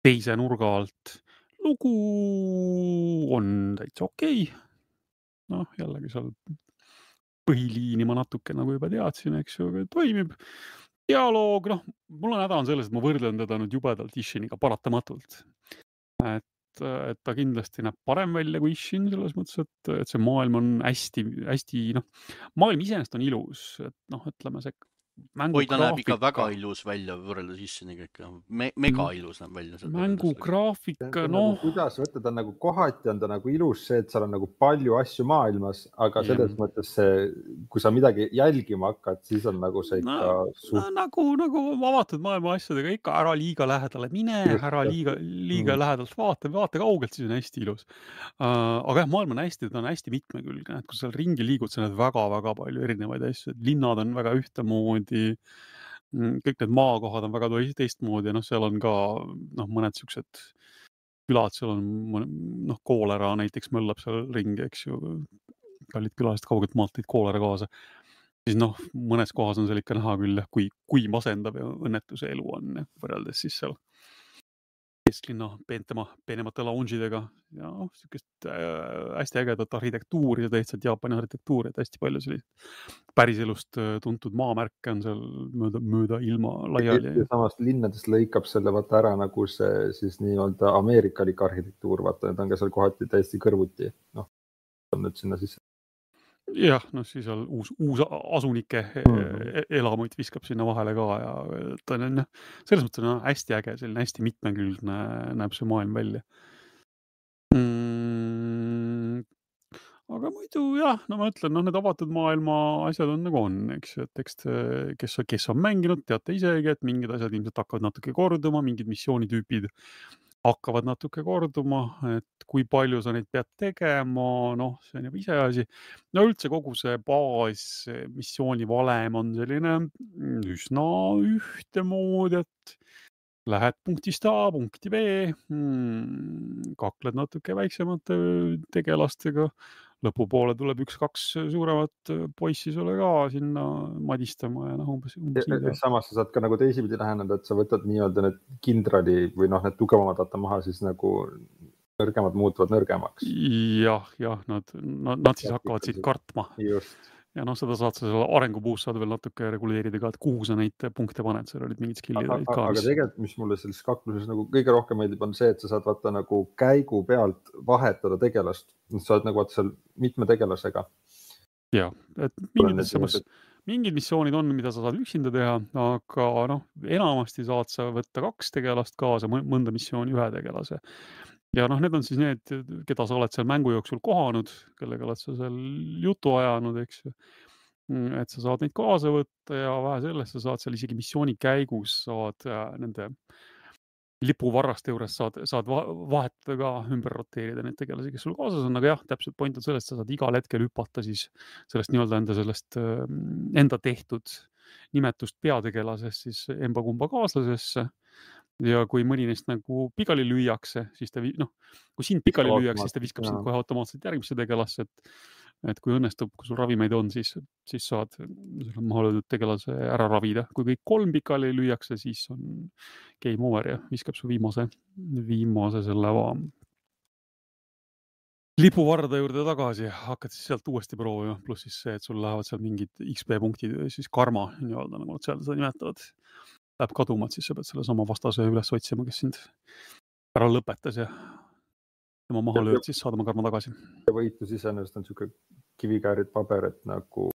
teise nurga alt. Lugu on täitsa okei. Noh, jällegi seal põhiliini ma natuke nagu juba teadsin, eks ju, aga toimib. Dialoog, noh, mul on häda on selles, et ma võrdlen teda nüüd jubedalt Ishiniga paratamatult. Et et ta kindlasti näeb parem välja kui Ishin selles mõttes, et, et see maailm on hästi, hästi, noh, maailm iseenesest on ilus, et noh, ütleme see mängu Oi, ta näeb ikka graafika, väga ilus välja võrreldes Ishiniga ikka. Me, mega ilus näeb välja. mängu graafika, noh. noh. Kuidas võtta, ta on nagu kohati on ta nagu ilus see, et seal on nagu palju asju maailmas, aga selles yeah. mõttes see, kui sa midagi jälgima hakkad, siis on nagu see ikka no, suht... no, nagu, nagu avatud maailma asjadega ikka ära liiga lähedale mine, ära liiga, liiga mm. lähedalt vaata, vaata kaugelt, siis on hästi ilus. Uh, aga jah, maailm on hästi, ta on hästi mitmekülgne, et kui seal ringi liigud, sa näed väga-väga palju erinevaid asju, et linnad on väga ühtemoodi, kõik need maakohad on väga teistmoodi ja noh, seal on ka noh, mõned siuksed külad, seal on noh, koolera näiteks möllab seal ringi, eks ju, kallid külalised kaugelt maalt tõid koolera kaasa. Siis noh, mõnes kohas on seal ikka näha küll, kui, kui masendav ja õnnetuse elu on võrreldes siis seal kesklinna peentema, peenemate lounge'idega ja noh, siukest äh, hästi ägedat arhitektuuri ja tähtsalt Jaapani arhitektuuri, et hästi palju sellist päriselust tuntud maamärke on seal mööda, mööda ilma laiali. Ja samast linnadest lõikab selle vaata ära nagu see siis nii-öelda ameerikalik arhitektuur, vaata, need on ka seal kohati täiesti kõrvuti, noh, on nüüd sinna sisse. Jah, noh, siis on uus, uus asunike mm-hmm. elamuid viskab sinna vahele ka ja ta on, selles mõttes on hästi äge, selline hästi mitmekülgne näeb see maailm välja. Mm, aga muidu jah, no ma ütlen, noh, need avatud maailma asjad on nagu on, eks, et eks kes, kes on mänginud, teate isegi, et mingid asjad ilmselt hakkavad natuke korduma, mingid missioonitüüpid hakkavad natuke korduma, et kui palju sa neid pead tegema, noh, see on juba ise asi. No üldse kogu see baas missiooni valem on selline üsna ühtemoodi, et lähed punktist A, punkti B, hmm, kakled natuke väiksemate tegelastega, lõpupoole tuleb üks-kaks suuremat poissi sulle ka sinna madistama ja noh, umbes, umbes ja, samas sa saad ka nagu teisipidi läheneda, et sa võtad nii-öelda need kindrali või noh, need tugevamad vaata maha, siis nagu nõrgemad muutuvad nõrgemaks. Jah, jah, nad, nad, nad siis hakkavad siit kartma. Just. Ja noh, seda saad sa selle arengupuus saad veel natuke reguleerida ka, et kuhu sa neid punkte paned, seal olid mingid skillid olid ka. Aga tegelikult, mis mulle selles kakluses nagu kõige rohkem meeldib, on see, et sa saad vaata nagu käigu pealt vahetada tegelast. Sa oled nagu vaata seal mitme tegelasega. Ja, et mingid, samas, mingid missioonid on, mida sa saad üksinda teha, aga noh, enamasti saad sa võtta kaks tegelast kaasa, mõnda missiooni ühe tegelase. Ja noh, need on siis need, keda sa oled seal mängu jooksul kohanud, kellega oled sa seal jutu ajanud, eks ju. Et sa saad neid kaasa võtta ja vähe sellest, sa saad seal isegi missiooni käigus, saad nende lipuvarraste juures saad, saad vahetada ka, ümber roteerida neid tegelasi, kes sul kaasas on, aga jah, täpselt point on sellest, sa saad igal hetkel hüpata siis sellest nii-öelda enda sellest enda tehtud nimetust peategelasest siis emba-kumba kaaslasesse. Ja kui mõni neist nagu pikali lüüakse, siis ta, noh, kui sind pikali lüüakse, siis ta viskab sind kohe automaatselt järgmisse tegelasse, et, et kui õnnestub, kui sul ravimeid on, siis, siis saad maha löödud tegelase ära ravida. Kui kõik kolm pikali lüüakse, siis on game over ja viskab su viimase, viimase selle va... lipuvarda juurde tagasi, hakkad siis sealt uuesti proovima, pluss siis see, et sul lähevad seal mingid X P punktid, siis karma, nii-öelda, nagu nad seal seda nimetavad. Läheb kaduma, et siis sa pead selle sama vastase üles otsima, kes sind ära lõpetas ja tema maha lööd, siis saad oma karma tagasi. Võitlus iseenesest on niisugune kivikäärid paber, et nagu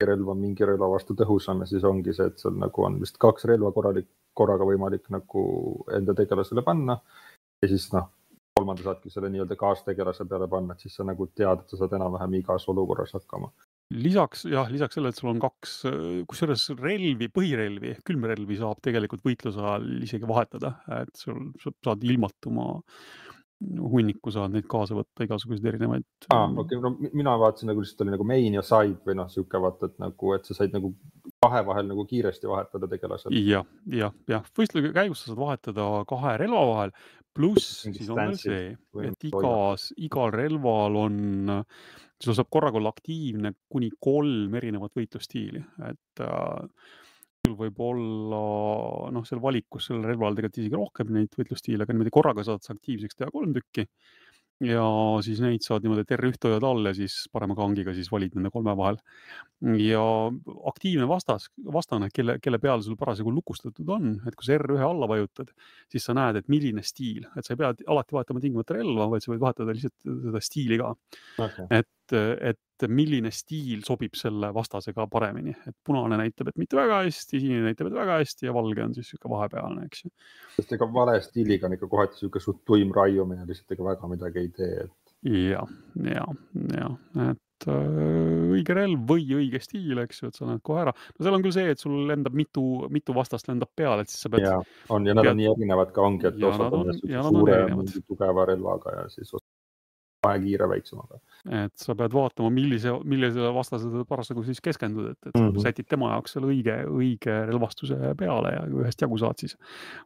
relv on mingi relva vastu tõhusam ja siis ongi see, et sul nagu on vist kaks relva korralik, korraga võimalik nagu enda tegelasele panna ja siis noh, kolmanda saadki selle nii-öelda kaastegelase peale panna, et siis sa nagu tead, et sa saad enam-vähem igas olukorras hakkama. Lisaks, jah, lisaks sellele, et sul on kaks, kusjuures relvi, põhirelvi, külmrelvi saab tegelikult võitluse ajal isegi vahetada, et sul saad ilmatuma hunniku, saad neid kaasa võtta, igasuguseid erinevaid. Ah, okay. No, mina vaatasin nagu lihtsalt oli nagu main ja side või noh, siuke vaata, et nagu, et sa said nagu kahe vahel nagu kiiresti vahetada tegelasel. Ja, ja, ja. Võistluse käigus sa saad vahetada kahe relva vahel, pluss siis on veel see, et igas, igal relval on, sul saab korraga olla aktiivne kuni kolm erinevat võitlustiili, et äh, sul võib olla, noh, seal valikus seal relval tegelikult isegi rohkem neid võitlustiile, aga niimoodi korraga saad sa aktiivseks teha kolm tükki ja siis neid saad niimoodi, et R üks hoiad all ja siis parema kangiga siis valid nende kolme vahel. Ja aktiivne vastas, vastane, kelle, kelle peal sul parasjagu lukustatud on, et kui sa R üks alla vajutad, siis sa näed, et milline stiil, et sa ei pea alati vahetama tingimata relva, vaid sa võid vahetada lihtsalt seda stiili ka. Okay. Et, et milline stiil sobib selle vastasega paremini, et punane näitab, et mitte väga hästi, sinine näitab, et väga hästi ja valge on siis siuke vahepealne, eks ju. Sest ega vale stiiliga on ikka kohati siuke suht tuim raiumine, lihtsalt ega väga midagi ei tee. Et... Ja, ja, ja, et äh, õige relv või õige stiil, eks ju, et sa näed kohe ära. No seal on küll see, et sul lendab mitu, mitu vastast lendab peale, et siis sa pead... Ja, on, ja nad pead... on nii erinevad ka ongi, et osad on, on suure mingi tugeva relvaga ja siis vahe kiire väiksemaga. Et sa pead vaatama, millise, millise vastasele parasjagu siis keskendud, et, et mm -hmm. sätid tema jaoks selle õige, õige relvastuse peale ja kui ühest jagu saad, siis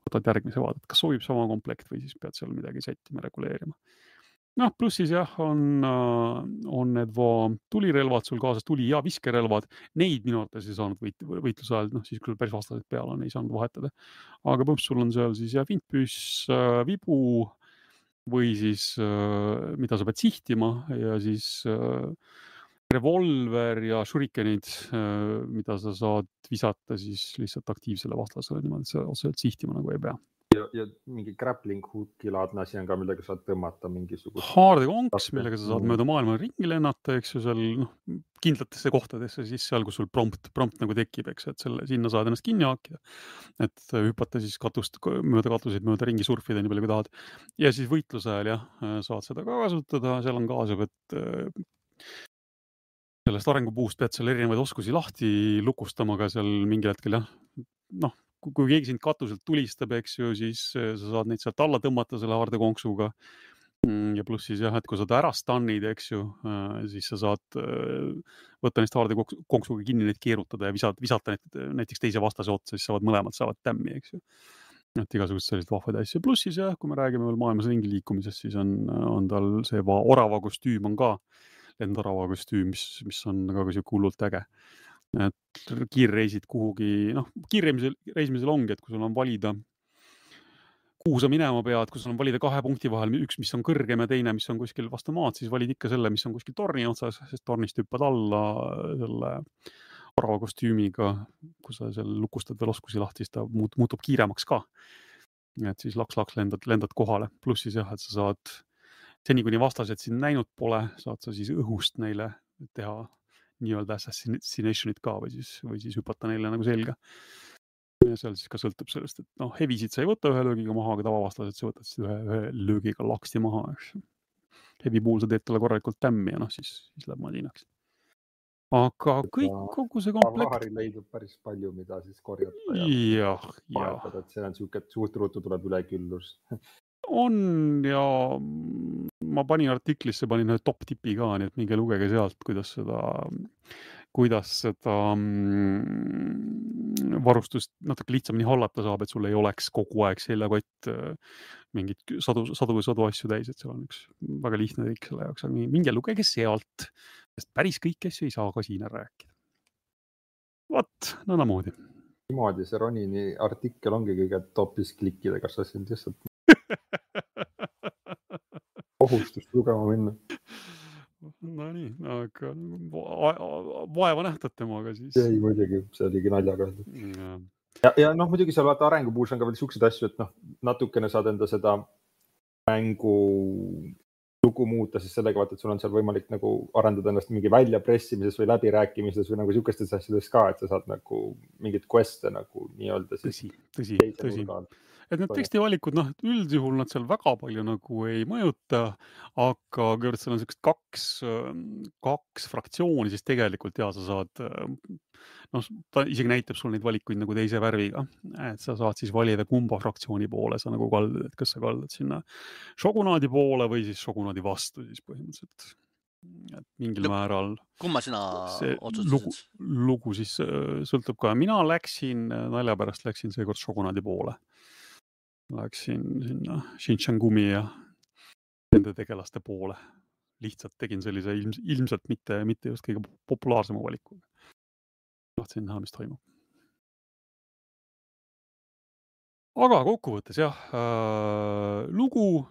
võtad järgmise vaadet, kas sobib sama komplekt või siis pead seal midagi sättima, reguleerima. Noh, pluss siis jah, on, on need va tulirelvad sul kaasas, tuli- ja viskerelvad. Neid minu arvates ei saanud võit, võitluse ajal, noh siis kui päris vastased peale on, ei saanud vahetada. Aga põhimõtteliselt sul on seal siis jah, vintpüss, vibu või siis mida sa pead sihtima ja siis revolver ja shurikenid, mida sa saad visata siis lihtsalt aktiivsele vastasele, niimoodi sa otseselt sihtima nagu ei pea. Ja, ja mingi grappling hooki laadne asi on ka, millega saad tõmmata mingisugust... Haardekonks, millega sa saad mööda maailma ringi lennata, eks ju, seal noh, kindlatesse kohtadesse, siis seal, kus sul prompt, prompt nagu tekib, eks, et selle, sinna saad ennast kinni haakida, et hüpata siis katust, mööda katuseid, mööda ringi surfida, nii palju kui tahad. Ja siis võitluse ajal, jah, saad seda ka kasutada, seal on kaasab, et sellest arengupuust pead seal erinevaid oskusi lahti lukustama ka seal mingi hetkel, jah, noh, kui keegi sind katuselt tulistab, eks ju, siis sa saad neid sealt alla tõmmata selle haardekonksuga ja pluss siis jah, et kui sa ta ära stannid, eks ju, siis sa saad võtta neist haardekonksuga kinni, neid keerutada ja visata, visata neid näiteks teise vastase otsa, siis saavad mõlemad saavad tämmi, eks ju. Et igasugused sellised vahvad asju. Pluss siis jah, kui me räägime veel maailmas ringi liikumisest, siis on, on tal see orava kostüüm on ka, lendorava kostüüm, mis, mis on ka siuke hullult äge. Et kiirreisid kuhugi, noh, kiirreisimisel, reisimisel ongi, et kui sul on valida, kuhu sa minema pead, kui sul on valida kahe punkti vahel, üks, mis on kõrgem ja teine, mis on kuskil vastu maad, siis valid ikka selle, mis on kuskil torni otsas, sest tornist hüppad alla selle orava kostüümiga, kui sa seal lukustad veel oskusi lahti, siis ta muutub kiiremaks ka. Et siis laks-laks lendad, lendad kohale. Pluss siis jah, et sa saad, seni kuni vastased sind näinud pole, saad sa siis õhust neile teha nii-öelda assassinationit ka või siis, või siis hüpata neile nagu selga. Ja seal siis ka sõltub sellest, et noh, hevisid sa ei võta ühe löögiga maha, aga tavavastased sa võtad siis ühe, ühe löögiga laksti maha, eks. Hevi puhul sa teed talle korralikult tämmi ja noh, siis, siis läheb madinaks. Aga kõik, kogu see komplekt... Vahari leidub päris palju, mida siis korjata ja, ja vahetada, et see on siuke, et suht ruutu tuleb üleküllus. On ja ma panin artiklisse, panin ühe top tipi ka, nii et minge lugege sealt, kuidas seda, kuidas seda varustust natuke lihtsamini hallata saab, et sul ei oleks kogu aeg seljakott mingid sadu, sadu või sadu asju täis, et seal on üks väga lihtne trik selle jaoks, aga minge lugege sealt, sest päris kõik asju ei saa ka siin ära rääkida. Vot, nõnamoodi. Niimoodi see Ronini artikkel ongi kõige topis klikkida, kas sa sind lihtsalt kohustust lugema minna. No nii, aga vaeva nähtad temaga siis. Ei, muidugi, see oligi naljaga. Ja, ja, ja noh, muidugi seal vaata arengupuus on ka veel siukseid asju, et noh, natukene saad enda seda mängu lugu muuta, siis sellega vaata, et sul on seal võimalik nagu arendada ennast mingi väljapressimises või läbirääkimises või nagu sihukestes asjades ka, et sa saad nagu mingit quest'e nagu nii-öelda siis tõsi, tõsi, teise tõsi. nurga alt. Et need tekstivalikud, noh, üldjuhul nad seal väga palju nagu ei mõjuta, aga kui seal on sellised kaks, kaks fraktsiooni, siis tegelikult ja sa saad, noh, ta isegi näitab sul neid valikuid nagu teise värviga, et sa saad siis valida kumba fraktsiooni poole sa nagu kaldad, et kas sa kaldad sinna šogunaadi poole või siis šogunaadi vastu siis põhimõtteliselt. Et mingil No, määral kumma sina see lugu, otsustasid? lugu siis äh, sõltub ka. Mina läksin, nalja pärast läksin seekord šogunaadi poole. Läksin sinna Xinjiangumi ja nende tegelaste poole. Lihtsalt tegin sellise ilms, ilmselt mitte, mitte just kõige populaarsema valiku. Tahtsin näha, mis toimub. Aga kokkuvõttes jah, äh, lugu,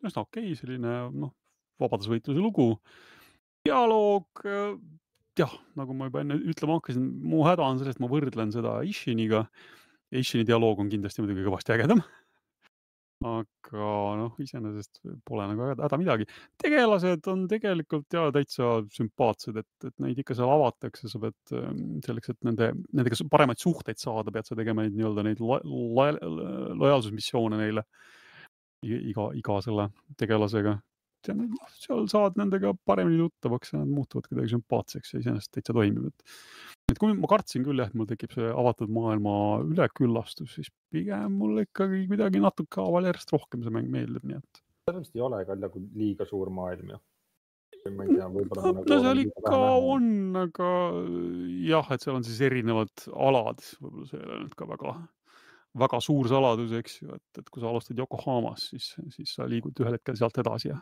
üsna okei, selline noh, vabadusvõitluse lugu. Dialoog, äh, jah, nagu ma juba enne ütlema hakkasin, mu häda on sellest, ma võrdlen seda Ishiniga. Ishini dialoog on kindlasti muidugi kõvasti ägedam. Aga noh, iseenesest pole nagu häda midagi. Tegelased on tegelikult ja täitsa sümpaatsed, et, et neid ikka seal avatakse, sa pead selleks, et nende, nendega paremaid suhteid saada, pead sa tegema neid nii-öelda neid lo, lo, lojaalsusmissioone neile iga, iga selle tegelasega. Seal saad nendega paremini tuttavaks ja nad muutuvad kuidagi sümpaatseks ja iseenesest täitsa toimib. Et, et kui ma kartsin küll, jah, et mul tekib see avatud maailma üleküllastus, siis pigem mul ikkagi midagi natuke aval järjest rohkem see mäng meeldib, nii et. Sellest ei ole ka nagu liiga suur maailm, jah. Ma ei tea, võib-olla no, nagu no seal ikka on, aga jah, et seal on siis erinevad alad, võib-olla see ei ole nüüd ka väga, väga suur saladus, eks ju, et, et kui sa alustad Yokohamas, siis, siis sa liigud ühel hetkel sealt edasi ja,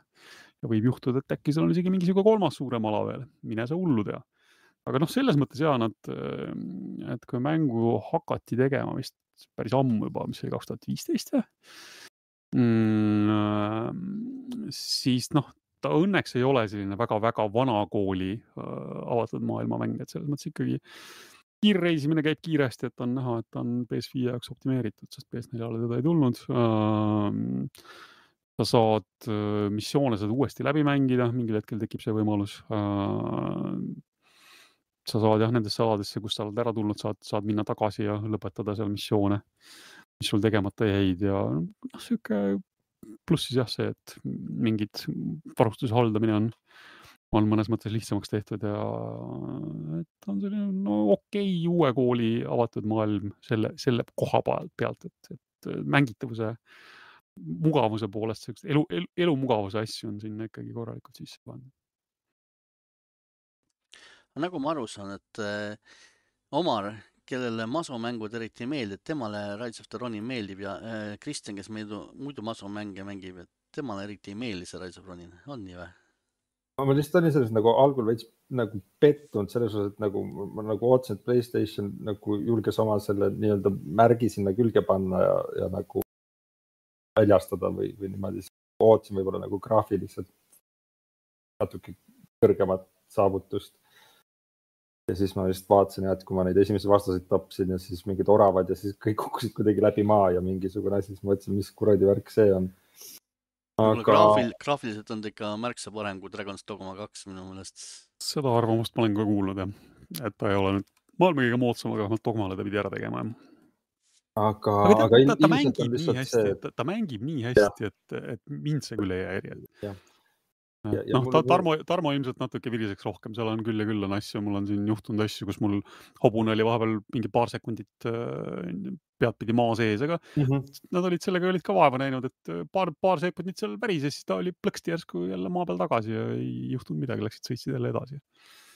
ja võib juhtuda, et äkki seal on isegi mingi kolmas suurem ala veel, mine sa hullu tea. Aga noh, selles mõttes jaa, nad, et kui mängu hakati tegema vist päris ammu juba, mis oli kaks tuhat viisteist, mm, siis noh, ta õnneks ei ole selline väga-väga vana kooli avatud maailmamäng, et selles mõttes ikkagi kiirreisimine käib kiiresti, et on näha, et on P S viie jaoks optimeeritud, sest P S neljale teda ei tulnud. Sa saad missioone saad uuesti läbi mängida, mingil hetkel tekib see võimalus. Sa saad jah nendesse aladesse, kus sa oled ära tulnud, saad, saad minna tagasi ja lõpetada seal missioone, mis sul tegemata jäid ja noh, siuke pluss siis jah see, et mingid varustuse haldamine on, on mõnes mõttes lihtsamaks tehtud ja et on selline no okei uue kooli avatud maailm selle, selle koha pealt, et, et mängitavuse mugavuse poolest, elu, elu, elu mugavuse asju on sinna ikkagi korralikult sisse pandud. Nagu ma aru saan, et äh, Omar, kellele masomängud eriti ei meeldi, et temale Rise of the Ronin meeldib ja äh, Kristjan, kes muidu, muidu masomänge mängib, et temale eriti ei meeldi see Rise of Ronin. On nii või? Ma lihtsalt olin selles nagu algul veits nagu pettunud selles osas, et nagu ma nagu ootasin, et PlayStation nagu julges oma selle nii-öelda märgi sinna külge panna ja, ja nagu väljastada või, või niimoodi ootasin võib-olla nagu graafiliselt natuke kõrgemat saavutust. Ja siis ma vist vaatasin, et kui ma neid esimesi vastaseid tapsin ja siis mingid oravad ja siis kõik kukkusid kuidagi läbi maa ja mingisugune asi, siis ma mõtlesin, mis kuradi värk see on. Aga... Graafil, graafiliselt on ikka märksa parem kui Dragon's Dogma kaks minu mõelest. Seda arvamust ma olen ka kuulnud, jah. Et ta ei ole nüüd maailma kõige moodsam, aga vähemalt Dogmale ta pidi ära tegema. Aga, aga ta, aga ta, ta mängib nii hästi, see... ta, ta mängib nii hästi, et, et mind see küll ei häiri. Jah. Ja, ja noh, ta, Tarmo, Tarmo ilmselt natuke viriseks rohkem, seal on küll ja küll on asju, mul on siin juhtunud asju, kus mul hobune oli vahepeal mingi paar sekundit pead pidi maa sees, aga mm -hmm. nad olid sellega olid ka vaeva näinud, et paar, paar sekundit seal värises, siis ta oli plõksti järsku jälle maa peal tagasi ja ei juhtunud midagi, läksid sõitsid jälle edasi.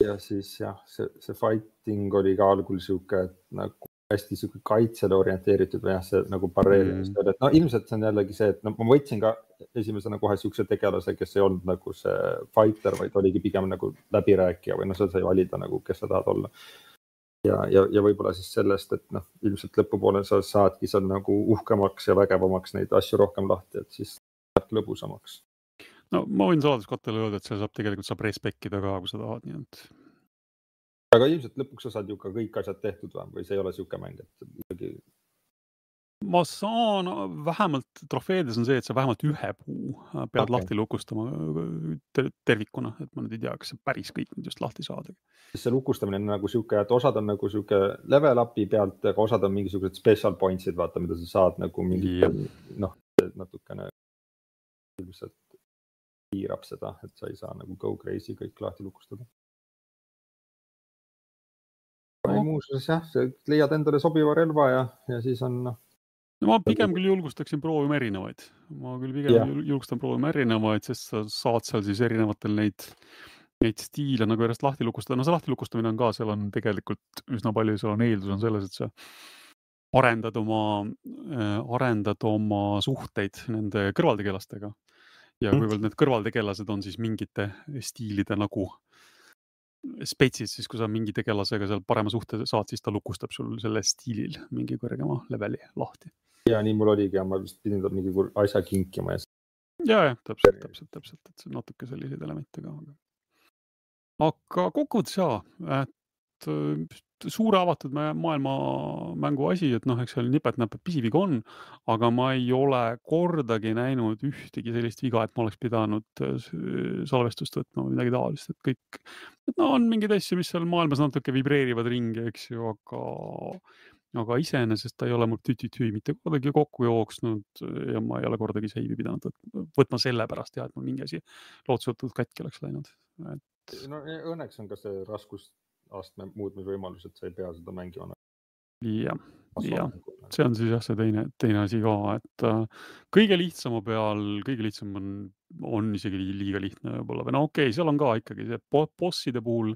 Ja siis jah, see, see fighting oli ka algul siuke, et nagu hästi siuke kaitsele orienteeritud või jah, see nagu pareerimist mm. et no ilmselt see on jällegi see, et no ma võtsin ka esimesena kohe siukse tegelase, kes ei olnud nagu see fighter, vaid oligi pigem nagu läbirääkija või no sa sai valida nagu, kes sa tahad olla. Ja, ja, ja võib-olla siis sellest, et noh, ilmselt lõpupoole sa saadki seal nagu uhkemaks ja vägevamaks neid asju rohkem lahti, et siis läheb lõbusamaks. No ma võin saladuskattele öelda, et see saab tegelikult saab respekkida ka, kui sa tahad, nii et aga ilmselt lõpuks sa saad ju ka kõik asjad tehtud või, või see ei ole siuke mäng, et ikkagi... ma saan, vähemalt trofeedes on see, et sa vähemalt ühe puu pead Okei. lahti lukustama ter- tervikuna, et ma nüüd ei tea, kas see päris kõik nüüd just lahti saada. Siis see lukustamine on nagu siuke, et osad on nagu siuke level up'i pealt, aga osad on mingisugused special points'id, vaata, mida sa saad nagu mingi, Jah. noh, natukene ilmselt piirab seda, et sa ei saa nagu go crazy kõik lahti lukustada. No. Muuseas jah, leiad endale sobiva relva ja, ja siis on noh. No ma pigem küll julgustaksin proovima erinevaid. Ma küll pigem Jah. jul- julgustan proovima erinevaid, sest sa saad seal siis erinevatel neid, neid stiile nagu järjest lahti lukustada. No see lahti lukustamine on ka, seal on tegelikult üsna palju, seal on eeldus on selles, et sa arendad oma, äh, arendad oma suhteid nende kõrvaltegelastega. Ja Mhm. kuivõrd need kõrvaltegelased on siis mingite stiilide nagu spetsid, siis kui sa mingi tegelasega seal parema suhte saad, siis ta lukustab sul selle stiilil mingi kõrgema leveli lahti. Ja nii mul oligi ja ma vist pidin ta mingi kur- asja kinkima ja Ja, ja, täpselt, täpselt, täpselt, et see on natuke selliseid elemente ka. aga- Aga kokkuvõttes jaa, et äh, suure avatud mä- maailma mängu asi, et noh, eks seal nipet-näpet pisiviga on, aga ma ei ole kordagi näinud ühtegi sellist viga, et ma oleks pidanud äh, s- salvestust võtma või midagi taolist, et kõik, et no on mingeid asju, mis seal maailmas natuke vibreerivad ringi, eks ju, aga aga iseenesest ta ei ole mul tütütüü mitte kordagi kokku jooksnud ja ma ei ole kordagi seivi pidanud võt- võtma selle pärast, jah, et mul mingi asi lootusetult katki oleks läinud. Et no õnneks on ka see raskusastme muutmisvõimalus, et sa ei pea seda mängima. jah, jah, see on siis jah, see teine, teine asi ka, et äh, kõige lihtsama peal, kõige lihtsam on, on isegi liiga lihtne võib-olla või no okei okay,, seal on ka ikkagi see bo- bosside puhul,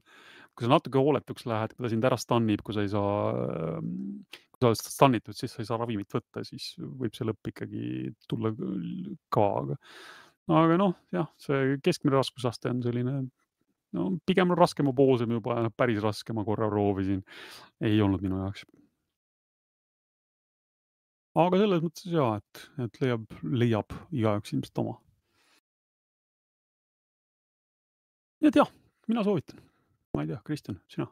kui sa natuke hooletuks lähed, kui ta sind ära stannib, kui sa ei saa, kui sa oled stannitud, siis sa ei saa ravimit võtta, siis võib see lõpp ikkagi tulla ka, aga aga noh, jah, see keskmine raskusaste on selline, no pigem raskema poosem juba, päris raske ma korra proovisin, ei olnud minu jaoks. Aga selles mõttes jaa, et, et leiab, leiab igaüks ilmselt oma. Nii et jah, mina soovitan. Ma ei tea, Kristjan, sina?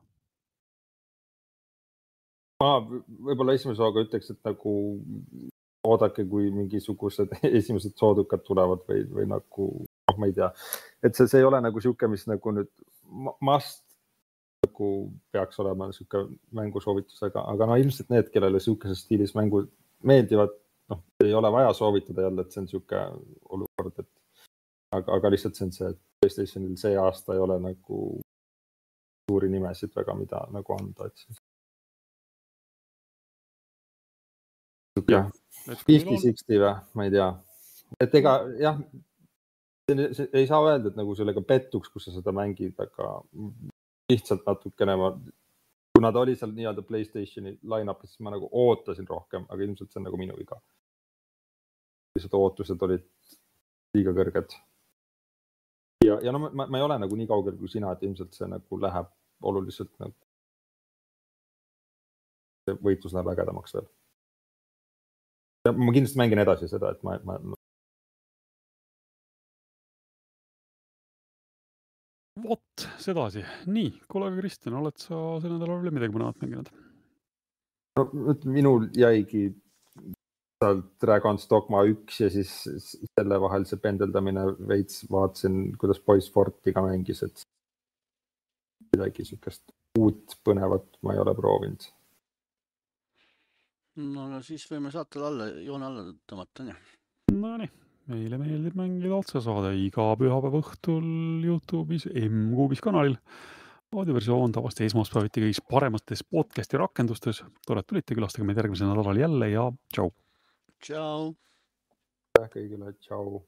Ma võib-olla esimese hooga ütleks, et nagu oodake, kui mingisugused esimesed soodukad tulevad või, või nagu, noh, ma ei tea. Et see, see ei ole nagu siuke, mis nagu nüüd must nagu peaks olema siuke mängusoovitusega, aga no ilmselt need, kellele siukeses stiilis mängu meeldivad, noh, ei ole vaja soovitada jälle, et see on siuke olukord, et aga, aga lihtsalt see on see, et PlayStationil see aasta ei ole nagu suuri nimesid väga, mida nagu anda, et siis jah, viiskümmend kuuskümmend või, ma ei tea. Et ega jah, see, see, ei saa öelda, et nagu sellega pettuks, kus sa seda mängid, aga lihtsalt natukene ma, kuna ta oli seal nii-öelda PlayStationi line-up'is, siis ma nagu ootasin rohkem, aga ilmselt see on nagu minu viga. Lihtsalt ootused olid liiga kõrged. Ja, ja no ma, ma ei ole nagu nii kaugel kui sina, et ilmselt see nagu läheb oluliselt nagu see võitlus läheb ägedamaks veel. Ja ma kindlasti mängin edasi seda, et ma, ma... Vot, sedasi. Nii, kuule, Kristjan, oled sa selle nädala veel midagi mõnevat mänginud? No, minul jäigi Dragon's Dogma üks ja siis selle vahel see pendeldamine veits vaatasin, kuidas Boys Fortiga mängis, et midagi sükest uut põnevat ma ei ole proovinud. No aga siis võime saatele alla, joone alla tõmmata, nii. No nii, meile meeldib mängida otsesaade iga pühapäeva õhtul YouTube'is, M-Kuubis kanalil. Audioversioon tavasti esmaspäeviti kõigis paremates podcasti rakendustes. Tore, et tulite, külastage meid järgmisel nädalal jälle ja tšau! Tšau! Kõigile, tšau!